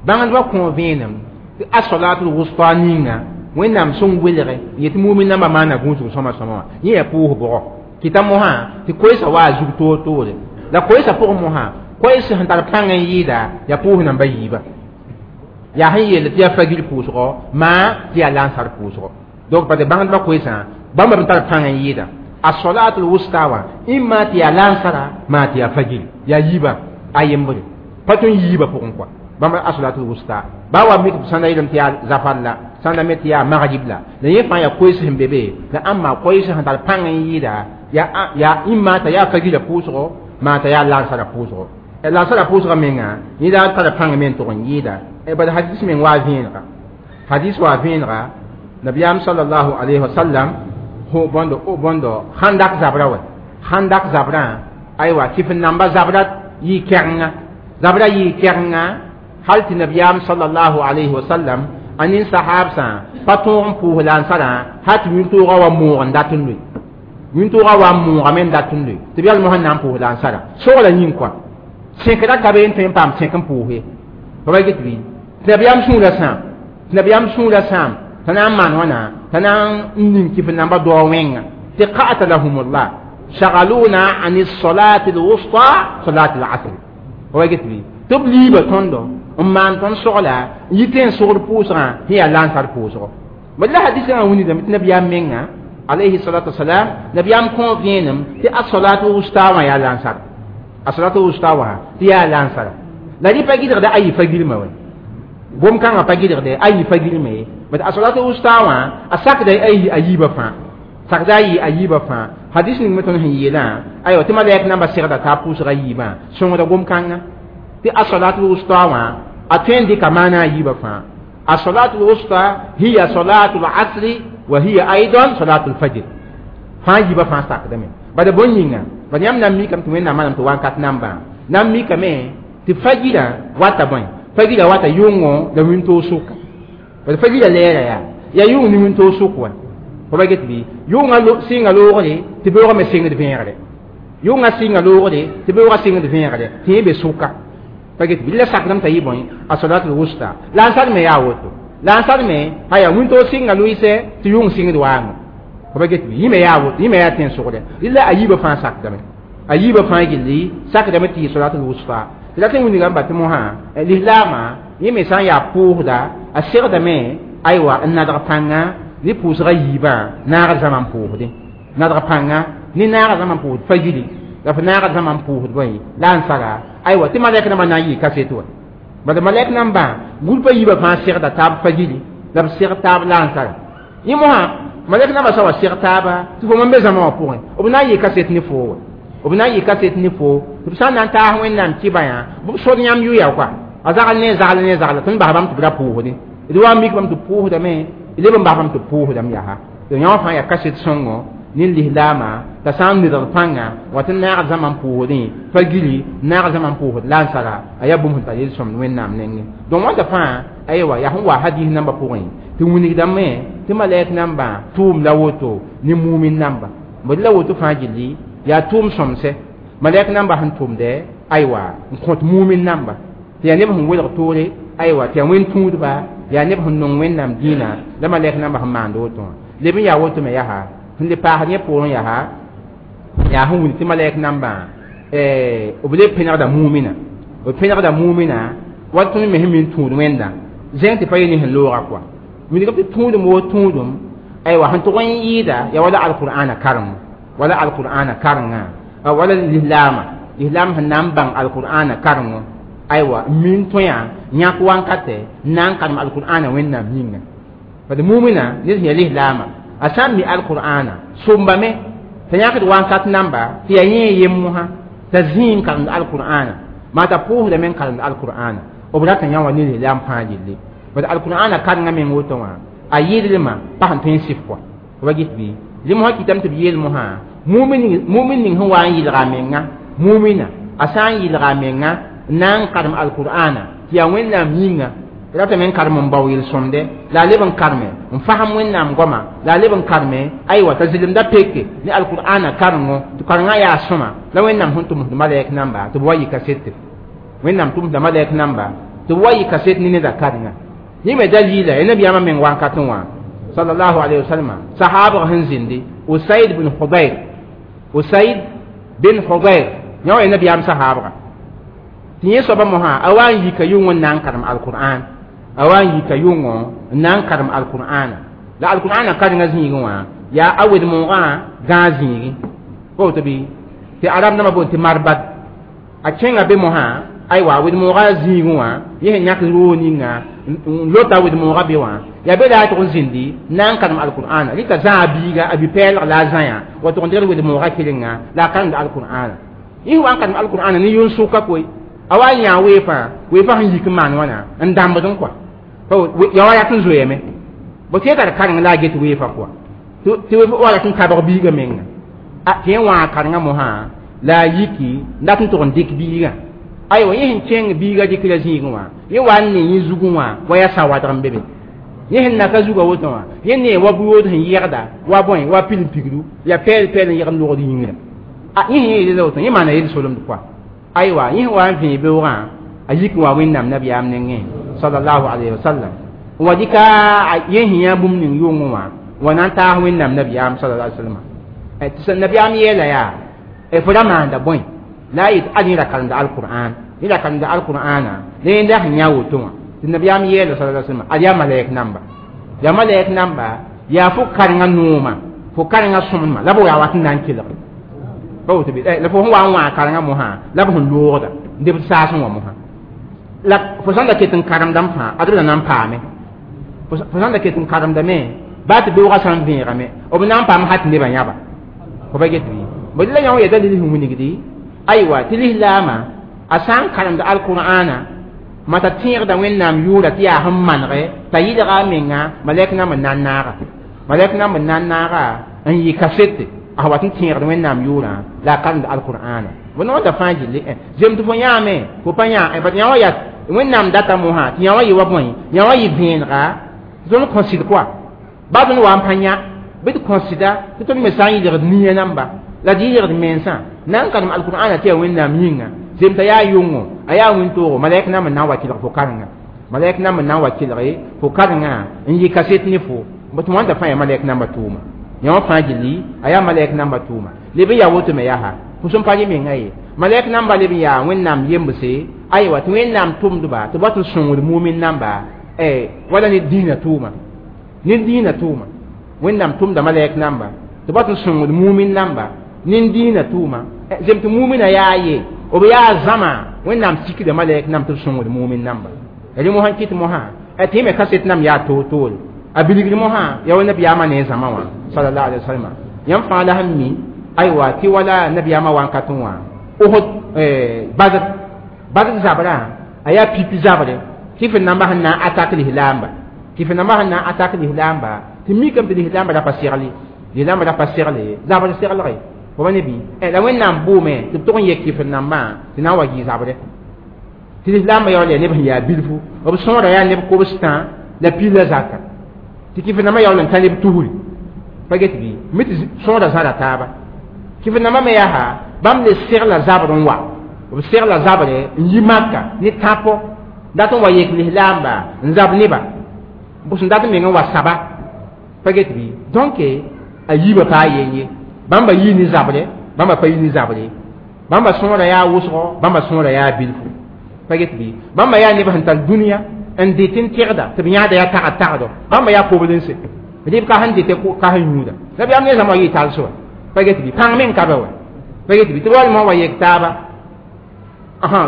bãngdbã kõ vẽenem tɩ asalatul wusta ninga wẽnnaam sẽn welge n yetɩ mumin nambã maana gũusg sõma sõma wã yẽ yaa pʋʋs bʋgɔ kɩta mosã tɩ koeesã wa a zug toor-toore la koeesã pʋgẽ mosã koees sẽn tar pãng n yɩɩda yaa pʋʋs nambã yiibã yaa sẽn yeel tɩ yaa fagil pʋʋsgɔ maa tɩ yaa lansar pʋʋsgɔ donc parce bãngdbã koeesã bãmba b tar pãng n yɩɩda asalatul wusta wã ĩmma tɩ yaa lansara maa tɩ yaa fagil yaa yiibã a yembre pa tõe n yiibã pʋgẽ kɔa bãmb asalatul wusta baa wa mik sãnda yeelame tɩ yaa zafar la sãnda me tɩ yaa magrib la la yẽ fãa yaa koees sẽn be be la ãmba koees sẽn tar pãng n yɩɩda yaa ĩmma t'a yaa fagila pʋʋsgo maa t'a yaa lansara pʋʋsgo lansara pʋʋsgã menga yẽ daa tara pãng me n tʋg n yɩɩda bala hadis meng waa vẽenega hadis waa vẽenega nabiyaam sallallahu alayhi wa sallam bõndo handak zabra wa handak zabrã aywa kɩf n namba zabra yɩ kɛgenga zabra yɩ kɛgenga hal tɩ nabiyaam sallallahu alayhi wa sallam a nin sahabsã pa tõog n pʋʋs lansarã hal tɩ wĩntoogã wa moog n dat n loe wĩntoogã wa n moogame n dat n loe tɩ b yal mosã na n pʋʋs lansarã sogla yĩng kɔa sẽkra ka be n tõe n paam sẽk n pʋʋs ye pa ba get bɩ tɩ nabiyaam sũurã sãam tɩ nabiyaam sũurã sãam t'a na n maan wãna t'a na n ning kɩf n namba dao wẽnga tɩ qatalahumullah شغلونا عن الصلاة الوسطى صلاة العصر هو قلت لي تبلي بتوندو أما أنتم شغلة يتين شغل بوسرا هي لانسار بوسرا بل حديث عن وني دم نبي منا عليه الصلاة والسلام نبي أم كونفينم تي الصلاة الوسطى يا لانسار الصلاة الوسطى هي لانسار لا دي باجي ده أي فجر ما وين بوم كان باجي ده أي فجر ما بس الصلاة الوسطى أساك ده أي أي بفا sakda yɩ a yiibã fãa hadis ning me tõnd sẽn yeelã aywa tɩ malɛk namba segda t'a pʋʋsga yiibã sõngda gom-kãnga tɩ asalatul wusta wã a tõe n dɩka maana a yiibã fãa asalatul wusta hiya salatul asri wa hiya aidan salatul fajr fãa yiibã fãa sakdame bala bõn yĩnga bala yãmb na n mikame tɩ wẽnnaam manam tɩ wakat nambã na n mikame tɩ fajirã wata bõe fajirã wata yʋngo la wĩntoog sʋka bala fajirã lɛɛra yaa yaa yʋng ne wĩntoog sʋk wã fa ba get bɩ yʋngã sɩnga loogre tɩ beoogã me sɩngd vẽegre yʋngã sɩnga loogre tɩ beoogã sɩngd vẽegre tɩ yẽ be sʋka pa get bɩ la sakdame t'a yɩ bõe a salatul wusta la n sar me yaa woto la n sar me a yaa wĩntoog sɩnga loɩsɛ tɩ yʋng sɩngd waango fa ba get bɩ yẽ me yaa woto yẽ me yaa tẽn-sʋgdɛ rɩla a yiibã fãa sakdame a yiibã fãa gilli sakdame tɩ yɩ salatul wusta tɩ la tɩ wilgame ba tɩ mosã lislaamã yẽ me sã n yaa pʋʋsda a segdame aywa n nadg pãnga ne pʋʋsga yiibã naag zãma n pʋʋsdẽ nadg pãnga ne naaga zãma n pʋʋsd fagili la f naaga zãma n pʋʋsd bõe la n sara aywa tɩ malɛk nambã na n yɩ kaset wa bala malɛk nambã gũlpã yiibã fãa segda taab fagili la b seg taab la n sara yẽ mosã malɛk nambã sã wa seg taaba tɩ fo mam be zãma wã pʋgẽ b na n yɩ kaset ne foo wa b na n yɩ kaset ne foo tɩ b sã n na n taas wẽnnaam kɩba yã b sod yãmb yʋya koa a zagl ne zagl ne zagla tõnd bas bãmb tɩ b ra pʋʋsdẽ d wa n mik bãmb tɩ pʋʋsdame leb n bas bãmb tɩ pʋʋsdame yaa tɩ yõ fãa yaa kaset sõngo ne lislaamã t'a sã n nedg pãnga wa tɩ naag zãma n pʋʋsdẽ fagili naag zãma n pʋʋsd la n sara a yaa bũmb sẽn tar yel-sõmd wẽnnaam nengẽ donc wãnda fãa aywa yaa sẽn wa hadis nambã pʋgẽ tɩ wilgdame tɩ malɛk nambã tʋʋm la woto ne mumin namba bd la woto fãa gilli yaa tʋʋm sõmsɛ Malɛk namba sẽn tʋmdɛ aywa n kõt mumin namba tɩ yaa neb sẽn welg toore aywa tɩ yaa wẽn tũudba yaa neb sẽn nong wẽnnaam dĩinã la malɛk namba sẽn maand woto wã leb n yaa woto me yaa sẽn le paasd yẽ poorẽ yaa yaa sẽn wilg tɩ malɛk nambã b le pẽnegda mumina b pẽnegda mumina wa tõnd me sẽn min tũud wẽnda zẽng tɩ pa yẽ ne sẽn looga kɔa wilgb tɩ tũudum woo tũudum aywa sẽn tʋg n yɩɩda yaa wala alqur'ana karengo wala alqur'ana karenga wala lislaama lislaam sẽn na n bãng alqur'ana karengo aywa min tõe yãk wankatɛ n na n karem alqur'ana wẽnnaam yĩnga bad mumina ned sẽn yaa lislaama a sã n mi alqur'ana sombame t'a yãkd wankat namba tɩ yaa yẽ yem mosã t'a zĩig n karemd alqur'ana maa t'a pʋʋsdame n karemd alqur'ana b rata yã wa ne lislaam fãa gilli bad alqur'ana karenga meng woto wã a yɩɩdlmã pa sẽn tõe n sɩf kɔa wa git bɩ rẽ mosã kɩtame tɩ b yeel mosã mumin ning sẽn wa n yɩlga a menga mumina a sã n yɩlga a menga n na n karem alqur'ana tɩ yaa wẽnnaam yĩnga ratame n karem n bao yel-sõmde la a leb n karme n fasem wẽnnaam goama la a leb n karme aywa t'a zelemda peke ne alqur'ana karengo tɩ karengã yaa sõma la wẽnnaam sẽn tʋmsd malɛk namba tɩ b wa yɩ kasete wẽnnaam tʋmsda malɛk namba tɩ b wa yɩ kaset ne neda karenga yẽ me dalila ya nabiyaamã meng wankatẽ wã sallallahu alayhi wa sallam sahabg sẽn zĩndi usaid bin hudair usaid bin hudair yã wa ya nabiyaam sahabga tɩ yẽ soaba mosã a wa n yika yʋngõ n na n karem alqur'an a wa n yika yʋngõ n na n karem alqur'ana la alqur'ana karenga zĩigẽ wã yaa a wed-moogã gãag zĩigi pa woto bɩ tɩ arab dãmbã boond tɩ marbad a kẽnga be mosã aywa a wed-moogã zĩigẽ wã yẽ sẽn yãk roog ninga n lota wed-moogã be wã yaa be la a tʋg n zĩndi n na n karem alqur'ana rɩka zã a biiga a bi-pɛɛlg la a zãyã wa tʋg n degd wed-moogã kelenga la a karemd alqur'ana yẽ wa n karem alqur'ana ne yʋn-sʋka koe a wa n yã weefã weefã sẽn yik n maan wãna n dãmbd n kɔa ya wa rat n zoeeme bo tɩ tar kareng la a get weefã kɔa tɩ wa rat n tabg biigã menga tɩ yẽ wã karengã mosã la a yiki n dat n tʋg n dɩk biigã aywa yẽ sẽn kẽng biigã dɩkra zĩigẽ wã yẽ wa n ne yẽ zugẽ wã wa yaa sa-wadg n be be yẽ sẽn naka zugã woto wã yẽ nee wa bu-yood sẽn yɛgda wa bõe wa pil pigru ya pɛɛl pɛɛl n yɛgd logd yĩngrã yẽ sẽn yeela woto yẽ maana yel-solemd kɔa aywa yẽ wa n vẽe beoogã a yik n wa wẽnnaam nabiyaam nengẽ sallallahu alayhi wa sallam n wa dɩka yẽ sẽn yã bũmb ning yʋngẽ wã wa na n taas wẽnnaam nabiyaam sallallahu alayhi wa sallam tɩ nabiyaam yeela yaa fo ra maanda bõe la a yet ad yẽ ra karemda alqur'an yẽ ra karemda alqur'ana la yẽnda sẽn yã woto wã tɩ nabiyaam yeela sallallahu alayhi wa sallam ad yaa malɛk namba yaa malɛk namba yaa fo karenga nooma fo karenga sõmdmã la b yaa wat n na n kelg pa woto bɩ la fo sẽn wa n wã karenga mosã la b sẽn loogda n deb saasẽ wã mosã la fo sãn da ket n karemdame fãa ad b la na n paame fo sãn da ket n karemdame baa tɩ beoogã sã n vẽegame b na n paam ha tɩ nebã yãba fo pa get bɩ bõ la yã wã yaa dalil sẽn wilgdi aywa tɩ lislaamã a sã n karemd alqur'ana ma t'a tẽegda wẽnnaam yʋʋra tɩ yaa sẽn manege t'a yɩlga a menga malɛk nam n na n naaga malɛk nam n na n naaga n yɩ kasete a wat n tẽegd wẽnnaam yʋʋrã la a karemd alqur'ana bõ noor fãa gilli zem tɩ fo yãame fo pa yã bat yã wã yaa wẽnnaam data mosã tɩ yã wã yɩ wa bõe yã wã yɩ vẽenega tɩ tõnd kõsɩd kɔa baa tõnd wa n pa yã bɩ tɩ kõsɩda tɩ tõnd me sã n yɩlgd nia namba la d yɩlgd mensã na n karem alqur'ana tɩ yaa wẽnnaam yĩnga zem t'a yaa yʋngo a yaa wĩntoog malɛk nam n na n wa kelg fo karenga malɛk nam n na n wa kelge fo karenga n yɩ kaset ne fo tɩ wãnda fãa yaa malɛk namba tʋʋma yã wã fãa gilli a yaa malɛk namba tʋʋma leb n yaa woto me yaa fo sẽn pa rẽ menga ye malɛk namba leb n yaa wẽnnaam yembse aywa tɩ wẽnnaam tʋmdba tɩ b wat n sõngd mumin namba wala ne dĩinã tʋʋma ne dĩinã tʋʋma wẽnnaam tʋmda malɛk namba tɩ b wat n sõngd mumin namba ne dĩinã tʋʋma zem tɩ mumina yaa ye b yaa zãma wẽnnaam sikda malɛk nam tɩ b sõngd mumin namba rẽ mosã kɩt mosã tɩ me kaset nam yaa toor-toore a bilgr mosã yaa wa nabiyaamã ne zãma wã sallallahu alaihi wasallam yãmb fãa la sẽn mi aywa tɩ wala nabiyaamã wankatẽ wã Uhud Badr Badr zabrã a yaa pipi zabre tɩ f namba sẽn na n atak lislaamba tɩ f namba sẽn na n atak lislaamba tɩ mikame tɩ lislaamba ra pa segli lislaamba ra pa segle zabr seglge fo pa ne bɩ la wẽnnaam bʋʋme tɩ b tʋg n yek kɩf nambã tɩ na n wa gɩ zabre tɩ lislaambã yaool yaa neb sẽn yaa bilfu b sõora yaa neb kobstã la pil la zaka tɩ kɩf nambã yaool n ta neb tusri pa get bɩ mi tɩ sõora zãra taaba kɩf nambã me yaa Bãmb le segla zabr n wa b segla zabre n yi Maka ne tãpo dat n wa yek lislaamba n zab neba b sẽn dat n meng n wa saba pa get bɩ. Donc a yiibã paa yen ye, bãmba yii ne zabre, bãmba pa yi ne zabre, bãmba sõora yaa wʋsgo, bãmba sõora yaa bilfu pa get bɩ. Bãmba yaa neb sẽn tar dũniyã n dɩt n tẽgda tɩ b yãada yaa tagd tagdo, bãmba yaa poblense rɩb ka sẽn dɩtɛ ka sẽn yũuda. Nabiyaam ne zãma yɩ tals wa pa get bɩ, pãng meng ka be wa pa get bɩ, tɩ b wal mosã wa yek taaba.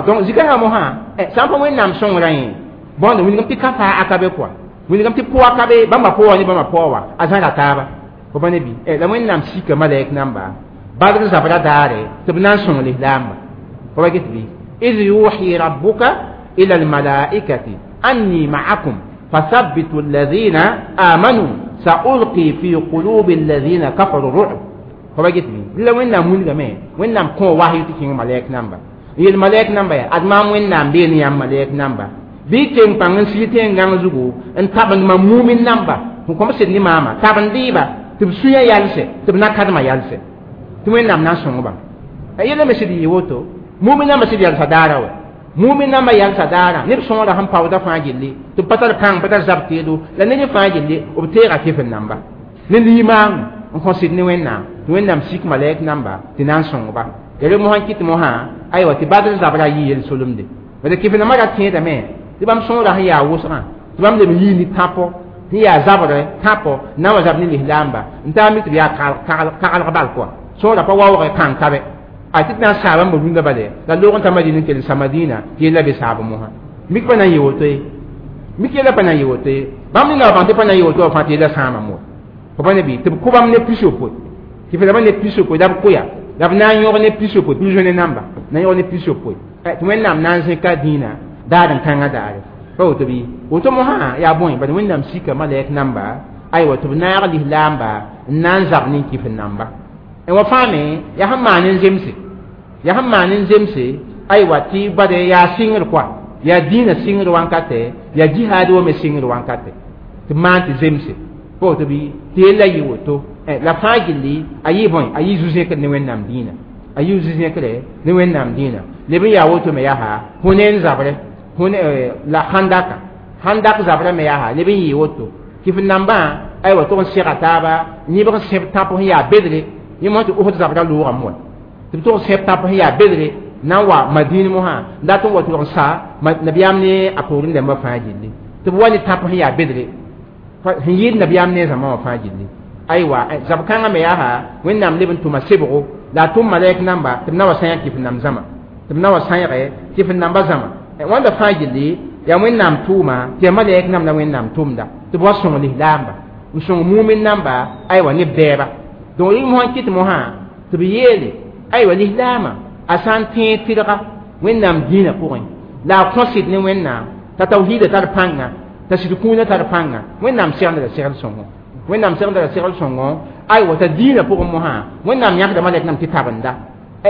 Donc zikãngã mosã sã n pa Wẽnnaam sõngrã yẽ bõnd wilgem tɩ ka faa aka be kɔa wilgem tɩ pʋga ka be, bãmba pʋga ne bãmba pʋga wa a zãra taaba fo pa ne bɩ. La Wẽnnaam sika malɛk namba Badr zabra daare tɩ b na n sõng lislaamba fo pa get bɩ. إذ يوحي ربك إلى الملائكة أني معكم فثبتوا الذين آمنوا سألقي في قلوب الذين كفروا الرعب fo pa get bɩ. La Wẽnnaam wilgame, Wẽnnaam kõ wahyu tɩ kẽng malɛk namba yel malɛk namba yaa ad maam Wẽnnaam bee ne yãmb malɛk namba bɩ teng pãng n sig tẽn-gãng zugu n tabend mam mumin namba sẽn kõm sɩd ne maama tabend-y-ba tɩ b sũyã yalsɛ tɩ b na kadmã yalsɛ tɩ Wẽnnaam na n sõng-ba. Yella me sɩd yɩ woto, mumin namba sɩd yalsa daara wa mumin namba yalsa daara neb sõora sẽn paoodã fãa gilli tɩ b pa tar pãng, pa tar zab teedo la ned fãa gilli b teega kefr namba ne limaango n kõ sɩd ne Wẽnnaam tɩ Wẽnnaam sik malɛk namba tɩ na n sõng-ba. Ya re mosã kɩt mosã aywa tɩ Badr zabra yɩ yel-solemde bala kɩf nambã ra tẽedame tɩ bãmb sõora sẽn yaa wʋsgã tɩ bãmb leb n yii ne tãpo sẽn yaa zabrɛ tãpo na n wa zab ne lislaamba n taa mi tɩ b yaa kaglg bal kɔa sõora pa waoogɛ kãng ka be a tɩ tɩ na n saa bãmba rũndã bale la loog n ta Madina n kell n sa Madina tɩ yella be saab mosã mik pa na n yɩ woto ye, mik yella pa na n yɩ woto ye. Bãmb nina wa bãng tɩ pa na n yɩ woto wa fãa tɩ yella sãama moa fo pa ne bɩ tɩ b kʋ bãmb ne 60 tɩ f laba ne 60 la b kʋya la b na n yõg ne 60 prisonnier namba na n yõg ne 60 tɩ Wẽnnaam na n zẽka dĩinã daar n kãngã daare pa woto bɩ woto mosã yaa bõe bad Wẽnnaam sika malɛk namba aywa tɩ b naag lislaamba n na n zab ne kɩf namba wa fãa me yaa sẽn maan n zemse, yaa sẽn maan n zemse aywa tɩ bade yaa sɩngr kɔa yaa dĩinã sɩngr wankatɛ yaa jihaad wa me sɩngr wankatɛ tɩ maan tɩ zemse pa woto bɩ tɩ yella yɩ woto. La fãa gilli a yɩ bõe a yɩ zu-zẽkr ne Wẽnnaam dĩinã, a yɩ zu-zẽkre ne Wẽnnaam dĩinã leb n yaa woto me yaa Hunen zabrɛ la Handaka Handak zabrɛ me yaa leb n yɩ woto kɩf nambã aywa tʋg n sega taaba yẽbg n sẽb tãp sẽn yaa bedre yẽ mosã tɩ Osd zabra loogame wa tɩ b tʋg n sẽb tãp sẽn yaa bedre na n wa Madin mosã n dat n wa tʋlg n sa nabiyaam ne a poorẽ dãmbã fãa gilli tɩ b wa ne tãp sẽn yaa bedre sẽn yɩɩd nabiyaam ne zãma wã fãa gilli aywa zab kãngã me yaa Wẽnnaam leb n tʋma sebgo la a tʋm malɛk namba tɩ b na wa sãyã kɩf nam zãma tɩ b na wa sãyge kɩf namba zãma wãnda fãa gilli yaa Wẽnnaam tʋʋma tɩ yaa malɛk nam la Wẽnnaam tʋmda tɩ b wa sõng lislaamba n sõng mumin namba aywa neb dɛɛba. Donc rɩ mosã kɩt mosã tɩ b yeele aywa lislaamã a sã n tẽeg tɩrga Wẽnnaam dĩinã pʋgẽ la a kõ sɩd ne Wẽnnaam t'a tawhiida tar pãnga t'a sɩd kũunã tar pãnga Wẽnnaam segenda la segl sõngo, Wẽnnaam segenda la segl sõngo aywa t'a dĩinã pʋgẽ mosã Wẽnnaam yãkda malɛk nam tɩ tabenda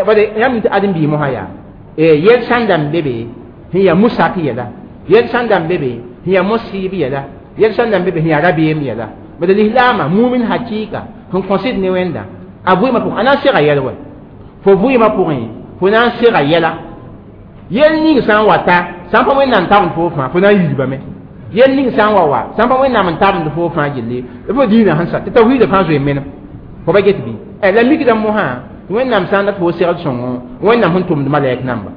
bade yãmb tɩ ãdem-biig mosã yaa yel sãn da n be be sẽn yaa musak yɛla, yel sãn da n be be sẽn yaa mosɩɩb yɛla, yel sãn da n be be sẽn yaa rabeem yɛla bad lislaamã mumin hakɩɩka sẽn kõ sɩd ne Wẽnda a vɩɩmã pʋgẽ a na n sega yɛl wɛ fo vɩɩmã pʋgẽ fo na n sega yɛla yel ning sã n wa ta sã n pa Wẽnnaam tabend fo fãa fo na n yidbame yel ning sã n wa wa sã n pa Wẽnnaam n tabend fo fãa gilli fo dĩinã sẽn sa tɩ tawhiidã fãa zoe menem fo pa get bɩ. La mikdã mosã Wẽnnaam sã n dat fo segl sõngo Wẽnnaam sẽn tʋmd malɛk namba,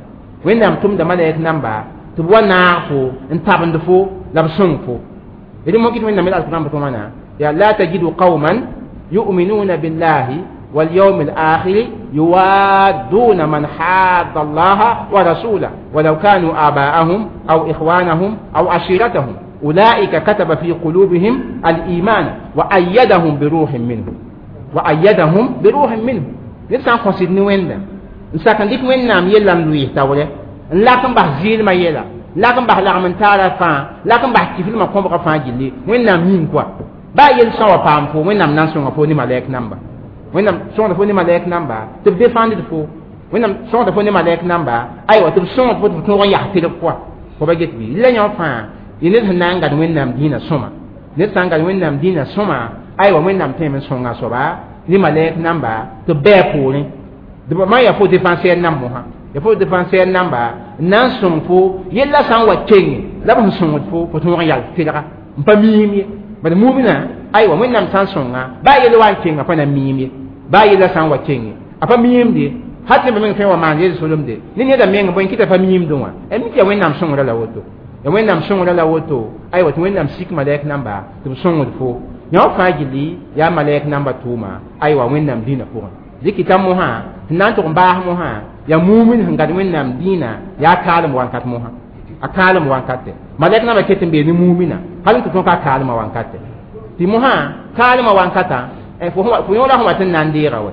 Wẽnnaam tʋmda malɛk namba tɩ b wa naag fo n tabend fo la b sõng fo d mo kɩt Wẽnnaam alqur'an pʋgẽ wãna ya la tajidu qauman yu'minuna billahi واليوم الآخر يوادون من حاد الله ورسوله ولو كانوا آباءهم أو إخوانهم أو عشيرتهم أولئك كتب في قلوبهم الإيمان وأيدهم بروح منه، وأيدهم بروح منه. نسان خسد نوين نسان ديك وين نام يلا نلويه تاوله لكن بح زيل ما يلا لكن بح لغم تارا فان لكن بح كيفل ما كوم فان جلي وين نام يين كوا با يل سان وپام فو وين نام نان سون فو ني مالك نامبا وين نام سون فو ني مالك نامبا تب ديفاند فو وين نام سون فو ني مالك نامبا ايوا تب سون فو تو يا تيل كوا فو با جيت بي لا يون فان ينز نان غاد وين نام دينا سوما نز سان غاد وين نام دينا سوما ايوا وين نام تيم سونغا سوبا ني مالك نامبا تب بي بوري Ma ya fo défenseur nam mosã, ya fo défenseur namba n na n sõng fo yella sã n wa kenge la b sẽn sõngd fo, fo tõog n yal tɩlga n pa miim ye. Bad mumina, aywa, Wẽnnaam sã n sõnga, baa yell wa n kenga, pa na miim ye. Baa yella sã n wa kenge, a pa miimde. Hal tɩ meng tõe n wa maan yel solemde ne neda meng bõe kɩta pa miimdẽ wã. Mi tɩ ya Wẽnnaam sõngra la woto, ya Wẽnnaam sõngra la woto. Aywa, tɩ Wẽnnaam sik malɛk namba tɩ b sõngd fo. Yã fãa gilli yaa malɛk namba tʋʋma, aywa, Wẽnnaam dĩinã pʋgẽ. Dɩkɩta mosã tɩ na n tʋg n baas mosã yaa mumin sẽn gad Wẽnnaam dĩinã, yaa kaalem wankat mosã, a kaalem wankate. Malɛk namba ket n bee ne mumina hal n tɩ tõe ka kaalmã wankate. Tɩ mosã kaalmã wankatã, fo yõola sẽn wa tɩ n na n deega wɛ.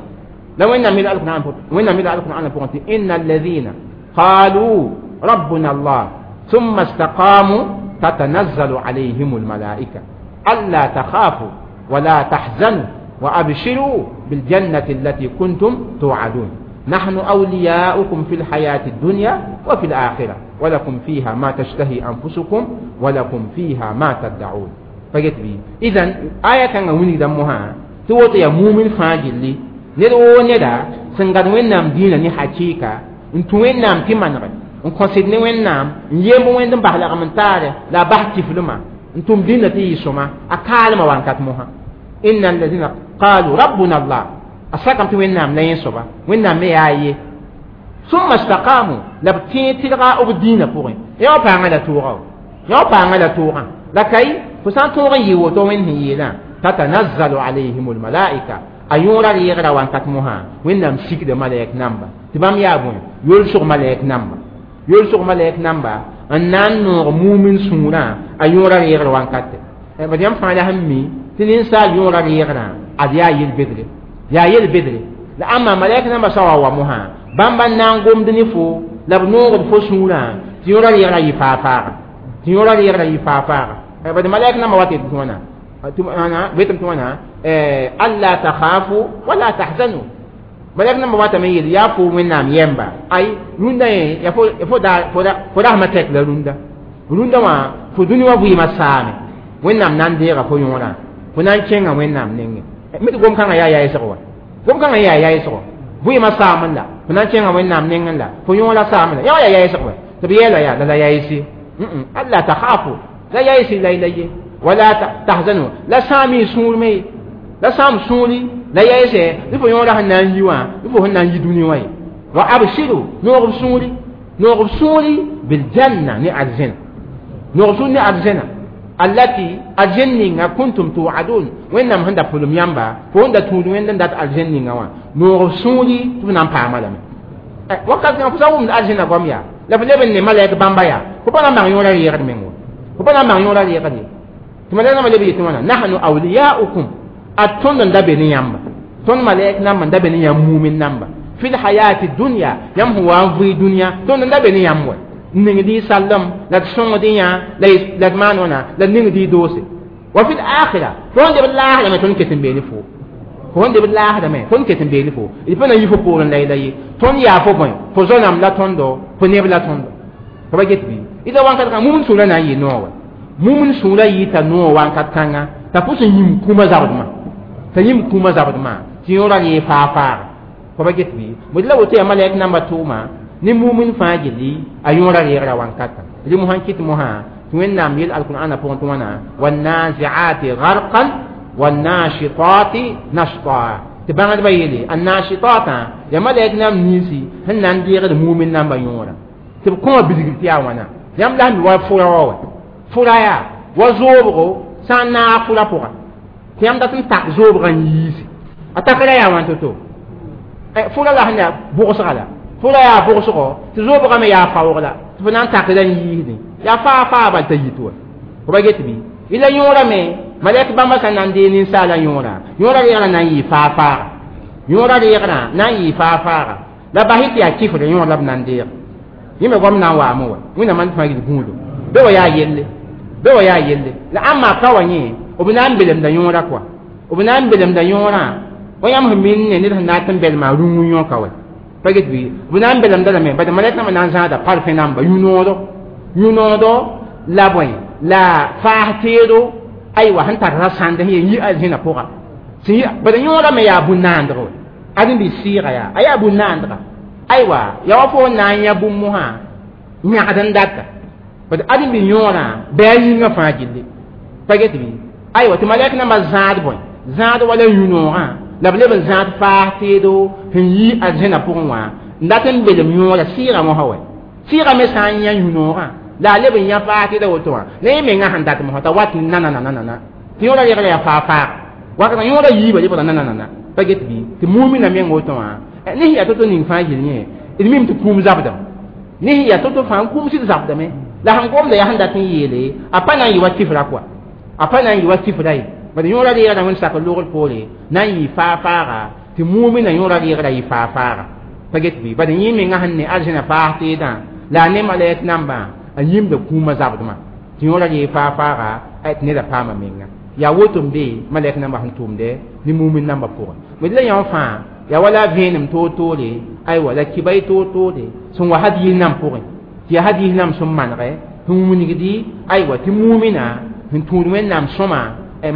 La Wẽnnaam mila Alqur'an, Wẽnnaam mila Alqur'an pʋgẽ tɩ inna alladhina qalu rabbuna Allah thumma istaqamu tatanazzalu alayhim almalaika alla takhafu wala tahzanu وأبشروا بالجنة التي كنتم توعدون نحن أولياؤكم في الحياة الدنيا وفي الآخرة ولكم فيها ما تشتهي أنفسكم ولكم فيها ما تدعون. فقلت بي إذن آية كان وني دمها توت يا مؤمن فاجلي ندو ندا سنغد وينام دينا ني حقيقة انتو وينام تمنغ ان كونسيد ني وينام يم وين بحلا من تار لا بحث فلما انتم دينا تي سما اكالما وانكات موها. إن الذين قالوا ربنا الله أساكم توينام لا ينصبا وينام ياي ثم استقاموا لبتين تلغى أو الدين فوقين يا بانا لا توغا يا بانا لا توغا لكي فسان توغا يوتو من هي لا تتنزل عليهم الملائكة أيورا ليغرا وانكتمها وينام سيك ملاك نامبا تبام يابون يلسق ملاك نامبا يلسق ملاك نامبا أن نور مؤمن سورا أيورا ليغرا وانكت بديام فعلها همي تنسى يورا ليغرا أديا يلبدري يا يلبدري لأما ملاك نامبا سوا ومها بامبا نانغوم دنيفو لبنور فسورا تيورا ليغرا يفافا تيورا ليغرا يفافا بدي ملاك نامبا واتي توانا أنا بيتم توانا ألا تخافوا ولا تحزنوا ملاك نامبا واتا ميل يافو من نام يمبا أي روندا يافو يافو دا فودا فودا ما تك لروندا روندا ما فدوني وابوي ما سامي وين نام نانديرا فيورا فنان كينغا وين نام نينغ ميت قوم كان يا يا يسقوا قوم كان يا يا يسقوا بوي ما سامن لا فنان كينغا وين نام نينغ لا فيورا سامن لا يا يا يسقوا تبي لا يا لا يا يسي ألا تخافوا لا يا يسي لا لا ولا تحزنوا لا سامي سورمي لا سام سوري لا يسي لفيورا هنان يوا لفو هنان يدوني واي وأبشروا نور سوري نور سوري بالجنة نعزنا نور سوري نعزنا التي الجنة كنتم توعدون وإنما هندا فلم ينبا فهندا تودون وإنما دات الجنة وا نور سوري تبنا بعمل وقت نفسهم من الجنة قاميا لا فلبن ملاك بامبايا كوبنا ما يورا يغني منه كوبنا ما يورا يغني ثم لنا ما لبي تمانا نحن أولياؤكم أتون دبني ينبا تون ملاك نام دبني يمومن نامبا في الحياة الدنيا يم هو في الدنيا تون دبني يموه نغدي سلم لا تسون ديا لا لا مانونا لا نغدي دوسي وفي الآخرة تون دب الله لما تون كتن بيني فو تون دب الله لما تون كتن بيني فو يبنا يفو بورن لا لا تون يا فو بوين فزونام لا تون دو فنيب لا تون دو فبجت بي إذا وان كان مؤمن سولا ناي نو مؤمن سولا يتا نو وان كتانا تفوس يم كوما زابدما تيم كوما زابدما تيورا لي فافا فبجت بي مدلا وتي مالك نمبر 2 ما ni mumin fãa gilli a yõora reegra wankata rɩ mosã kɩt mosã tɩ Wẽnnaam yel alqur'ana pʋgẽ tɩ wãna wannazi'ati garqan wannashitati nashta tɩ bãngdbã yeele annashitatã yaa malɛk nam ninsi sẽn na n deegd mumin namba yõora tɩ b kõma bilgr tɩ yaa wãna yãmb la sẽn mi wa fʋra wa wa fʋra yaa wa zoobgo sã n naag fʋra pʋga tɩ yãmb dat n tak zoobgã n yiisi a takra yaa wãn to-to fʋra la sẽn yaa bʋgsga la fʋra yaa bʋgsgɔ tɩ zoobgame yaa faoog la tɩ fo na n takda n yiisdẽ yaa faa faa bal t'a yit wa fo ba get bɩ ila yõorame malɛk bãmba sã na n dee ninsaala yõora yõora reegrã na n yɩ faa faaga yõora reegrã na n yɩ faa faaga la bas tɩ yaa kifre yõor la b na n deeg yẽ me goam na n waame wa Wẽnnaam n fãa gil gũudo be wa yaa yelle be wa yaa yelle la ãmba ka wa yẽ b na n belemda yõora kɔa b na n belemda yõorã wa yãmb sẽn min ne ned sẽn na n tɩ n belma rũngẽ yõka wa paget bi bunan belam dala me bada malek na nan zada parfait namba yunodo yunodo la boy la fahtiro aywa han tar rasande hi yi alhina poga si bada yora me ya bunandro Adin bi sɩɩga yaa a yaa bũn-naandga aywa ya wa fo na n yã bũmb mosã yãgd n data bad adin bi yõorã bɩ a yĩngã fãa gilli pa get bɩ aywa tɩ malɛk nambã zãad bõe zãad wala yũ-noogã la b leb n zãad faas teedo sẽn yi arzẽna pʋgẽ wã n dat n belem yõora sɩɩga mosã wɛ sɩɩga me sã n yã yũ-noogã la a leb n yã faas teeda woto wã la yẽ mengã sẽn dat mosã t'a wat nanananana tɩ yõora regra yaa faa faaga wakatã yõora yiibã lebgra nananana pa get bɩ tɩ mumina meng woto wã ne sẽn yaa to-to ning fãa gill yẽ d mim tɩ kũum zabdame ne sẽn yaa to-to fãa n kũum sɩd zabdame la sẽn gomda yaa sẽn dat n yeele a pa na n yɩ wa tifra kɔa a pa na n yɩ wa tifra ye bad yõora reegra wẽnd sak logr poore na n yɩ faa faaga tɩ mumina yõora reegra yɩ faa faaga pa get bɩ bad yẽ menga sẽn ne arzẽna paas teedã la a ne malɛk nambã a yĩmda kũumã zabdmã tɩ yõora ree faa faaga tɩ neda paama menga yaa woto n be malɛk nambã sẽn tʋʋmdɛ ne mumin nambã pʋgẽ bd la yõ fãa yaa wala vẽenem toor-toore aywa la kiba y toor-toore sẽn wa hadiis nam pʋgẽ tɩ yaa hadiis nam sẽn manegɛ sẽn wilgdi aywa tɩ mumina sẽn tũud wẽnnaam sõma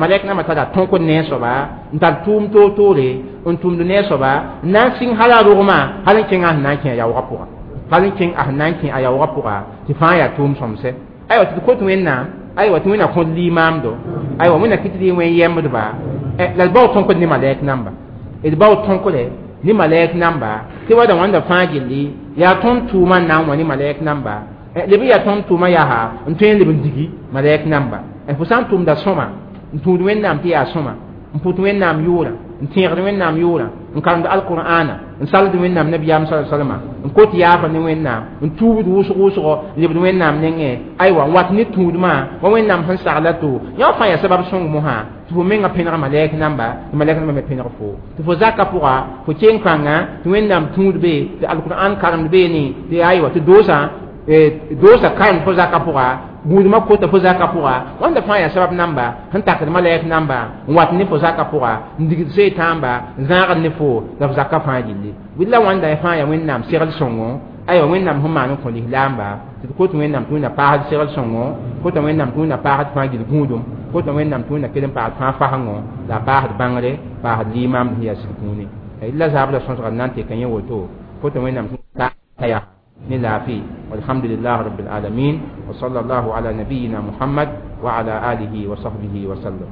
malɛk nambã tara tõkd ne a soaba n tar tʋʋm toor-toore n tʋmd ne a soaba n na n sɩng hal a rogmã hal n kẽng a sẽn na n kẽ a yaoogã pʋga hal n kẽng a sẽn na n kẽ a yaoogã pʋga tɩ fãa yaa tʋʋm sõmsɛ aywa tɩ d kot wẽnnaam aywa tɩ wẽnna kõd liimaamdo aywa wẽnna kɩt rɩ wẽn yɛmbdba la d bao tõkd ne malɛk namba d bao tõkre ne malɛk namba tɩ wada wãnda fãa gilli yaa tõnd tʋʋmã n na n wã ne malɛk namba leb n yaa tõnd tʋʋmã yaa n tõe n leb n digi malɛk namba fo sã n tʋmda sõma n tũud wẽnnaam tɩ yaa sõma n pʋt wẽnnaam yʋʋrã n tẽegd wẽnnaam yʋʋrã n karemd alqur'ana n sald wẽnnaam nabiyaam sa salma n kot yaafa ne wẽnnaam n tuubd wʋsg wʋsgo n lebd wẽnnaam nengẽ aywa n wat ne tũudmã wa wẽnnaam sẽn sagla to yã fãa yaa sabab sõng mosã tɩ fo menga pẽneg malɛk namba tɩ malɛk namba me pẽneg fo tɩ fo zaka pʋga fo keng pãnga tɩ wẽnnaam tũud be tɩ alqur'an karemd beene tɩ aywa tɩ doosa karemd fo zaka pʋga gũudmã kota fo zaka pʋga wãnda fãa yaa sabab namba sẽn takd malɛk namba n wat ne fo zaka pʋga n digd setaamba n zãagd ne fo la f zaka fãa gilli bɩ la wãnda fãa yaa wẽnnaam segl sõngo aywa wẽnnaam sẽn maan n kõ lislaamba tɩ d kot wẽnnaam tɩ wẽnna paasd segl sõngo kota wẽnnaam tɩ wẽnna paasd fãa gill gũudum kota wẽnnaam tɩ wẽnna kell n paasd fãa fasengo la a paasd bãngre paasd liimaamd sẽn yaa sɩd kũuni la zaabra sõsga n na n teka yẽ woto kota wẽnnaam tɩ yaa ne laafɩ walhamdulillah rabbil alamin wa sallallahu ala nabiyina muhammad wa ala alihi wa sahbihi wa sallam.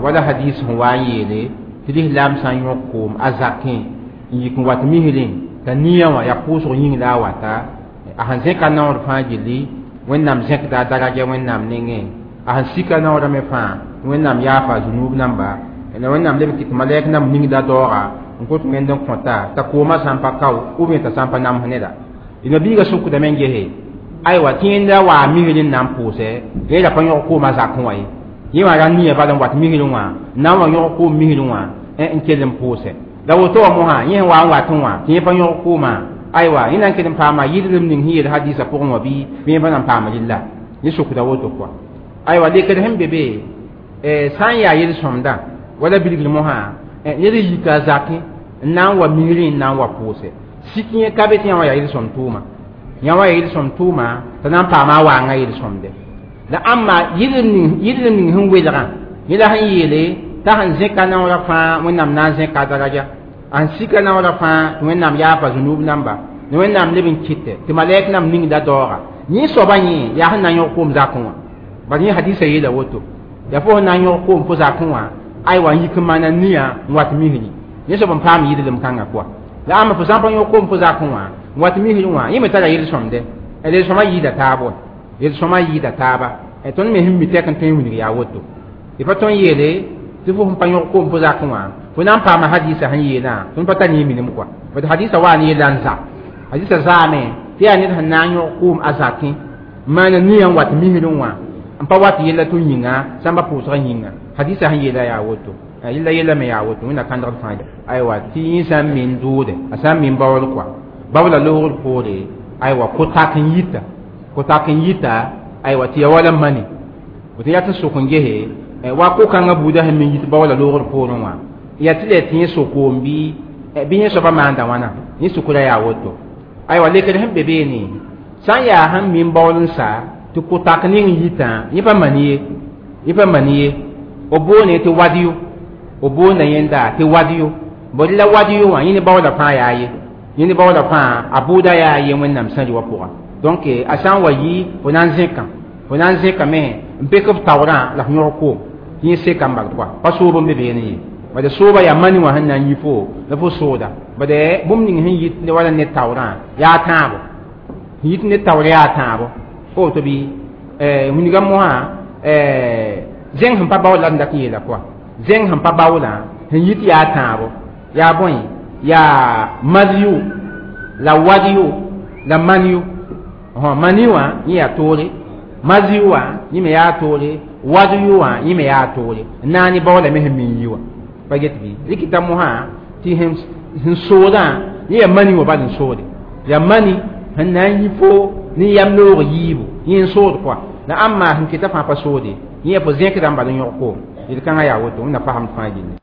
Wala hadis sẽn wa n yeele tɩ lislaam sã n yõk koom a zakẽ n yik n wat misrẽ t'a nia wã yaa pʋʋsg yĩng la a wata a sẽn zẽka naoor fãa gilli wẽnnaam zẽkda a daraja wẽnnaam nengẽ a sẽn sika naoorã me fãa wẽnnaam yaafa zunub namba la wẽnnaam leb n kɩt malɛk namb ningda daooga n kot wẽnd n kõta t'a koomã sã n pa kao ou bien t'a sã n pa nams neda nabiigã sokdame n gese aywa tɩ yẽnda waa misrẽ n na n pʋʋsɛ yẽ ra pa yõg koomã zakẽ wã ye yẽ wã ra nia bala n wat misrẽ wã n na n wa yõg koom misrẽ wã n kell n pʋʋsɛ la woto wã mosã yẽ sẽn wa n watẽ wã tɩ yẽ pa yõg koomã aywa yẽ na n kell n paama yɩlrem ning sẽn yeel hadisã pʋgẽ wã bɩ yẽ pa na n paam rɩlla yẽ sokda woto kɔa aywa lekd sẽn be be sã n yaa yel-sõmdã wala bilgr mosã ned n yika a zakẽ n na n wa misrẽ n na n wa pʋʋsɛ sik yẽ ka be tɩ yã wã yaa yel-sõm tʋʋma yã wã yaa yel-sõm tʋʋma t'a na n paama a waangã yel-sõmde la ãmba yɩlrem ning sẽn welgã yẽ la sẽn yeele t'a sẽn zẽka naoorã fãa wẽnnaam na n zẽka a daraja a sẽn sika naoorã fãa tɩ wẽnnaam yaafa zunub namba ne wẽnnaam leb n kɩtɛ tɩ malɛk nam ningda daooga yẽ soaba yẽ yaa sẽn na n yõg koom zakẽ wã bala yẽ hadisa yeela woto yaa fo sẽn na n yõg koom fo zakẽ wã aywa n yik n maana nia n wat misri yẽ soab n paam yɩlrem kãngã kɔa la ãmba fo sã n pa yõg koom fo zakẽ wã n wat misri wã yẽ me tara yel-sõmdɛ yel-sõmã yɩɩda taab wa yel-sõmã yɩɩda taaba tõnd me sẽn mi tɛk n tõe n wilg yaa woto y pa tõn yeele tɩ fo sẽn pa yõg koom fo zakẽ wã fo na n paama hadisa sẽn yeelã tõnd pa tar yẽ minim kɔa bad hadisa wa n yeela n za hadisa zaame tɩ yaa ned sẽn na n yõg koom a zakẽ n maana nia n wat misrẽ wã n pa wat yella tɩ yĩnga sãmba pʋʋsgã yĩnga hadisa sẽn yeela yaa woto yella yella me yaa woto wẽnna kãndgd fãa aywa tɩ yẽ sã n min doode a sã n min baool kɔa baoola loogr poore aywa ko-tak n yita ko-tak n yita aywa tɩ ya wala mani Woto yaa tɩ sok n gese wa ko-kãngã buudã sẽn min yit baoola loogr poorẽ wã, yaa tɩ la tɩ yẽ sok-koom bɩ yẽ soabã maanda wãna? Yẽ sukra yaa woto. Aywa, lekr sẽn be beene, sã n yaa sẽn min baool n sa tɩ ko-tak ning n yitã, yẽ pa mani ye, yẽ pa mani ye. B boone tɩ wadyo, b boonda yẽnda tɩ wadyo. Bõe la wadyo wã, yẽ ne baoola fãa yaa ye, yẽ ne baoola fãa a bʋʋda yaa ye Wẽnnaam sẽn rɩ wã pʋga. Donc a sã n wa yi, fo na n zẽkã, fo na n zẽkame n pek f taoorã la f yõg koom tɩ yẽ seka n bal kɔa. Pa soob n be beene ye, bad sooba yaa mani wã sẽn na n yi fo la fo sooda. Bad bũmb ning sẽn yit wala ne taoorã yaa tãabo, sẽn yit ne taoor yaa tãabo. Fo woto bɩ wilga mosã zẽng sẽn pa baool la d dat n yeela kɔa, zẽng sẽn pa baoolã sẽn yit yaa tãabo, yaa bõe? Yaa mazyu la wadyu la manyu. Mani wã yẽ yaa toore, mazyu wã yẽ me yaa toore, wadyu wã yẽ me yaa toore. N naane baoolame sẽn min yi wã pa get bɩ rɩkɩta mosã tɩ sẽn soodã yẽ yaa mani wã bal n soode, yaa mani sẽn na n yi fo ne yam loog yiibu, yẽ n sood kɔa. La ãmma sẽn keta fãa pa soode, yẽ yaa fo zẽkdã n bal n yõg koom. Yel-kãngã yaa woto, Wẽnna fasem fãa gilli.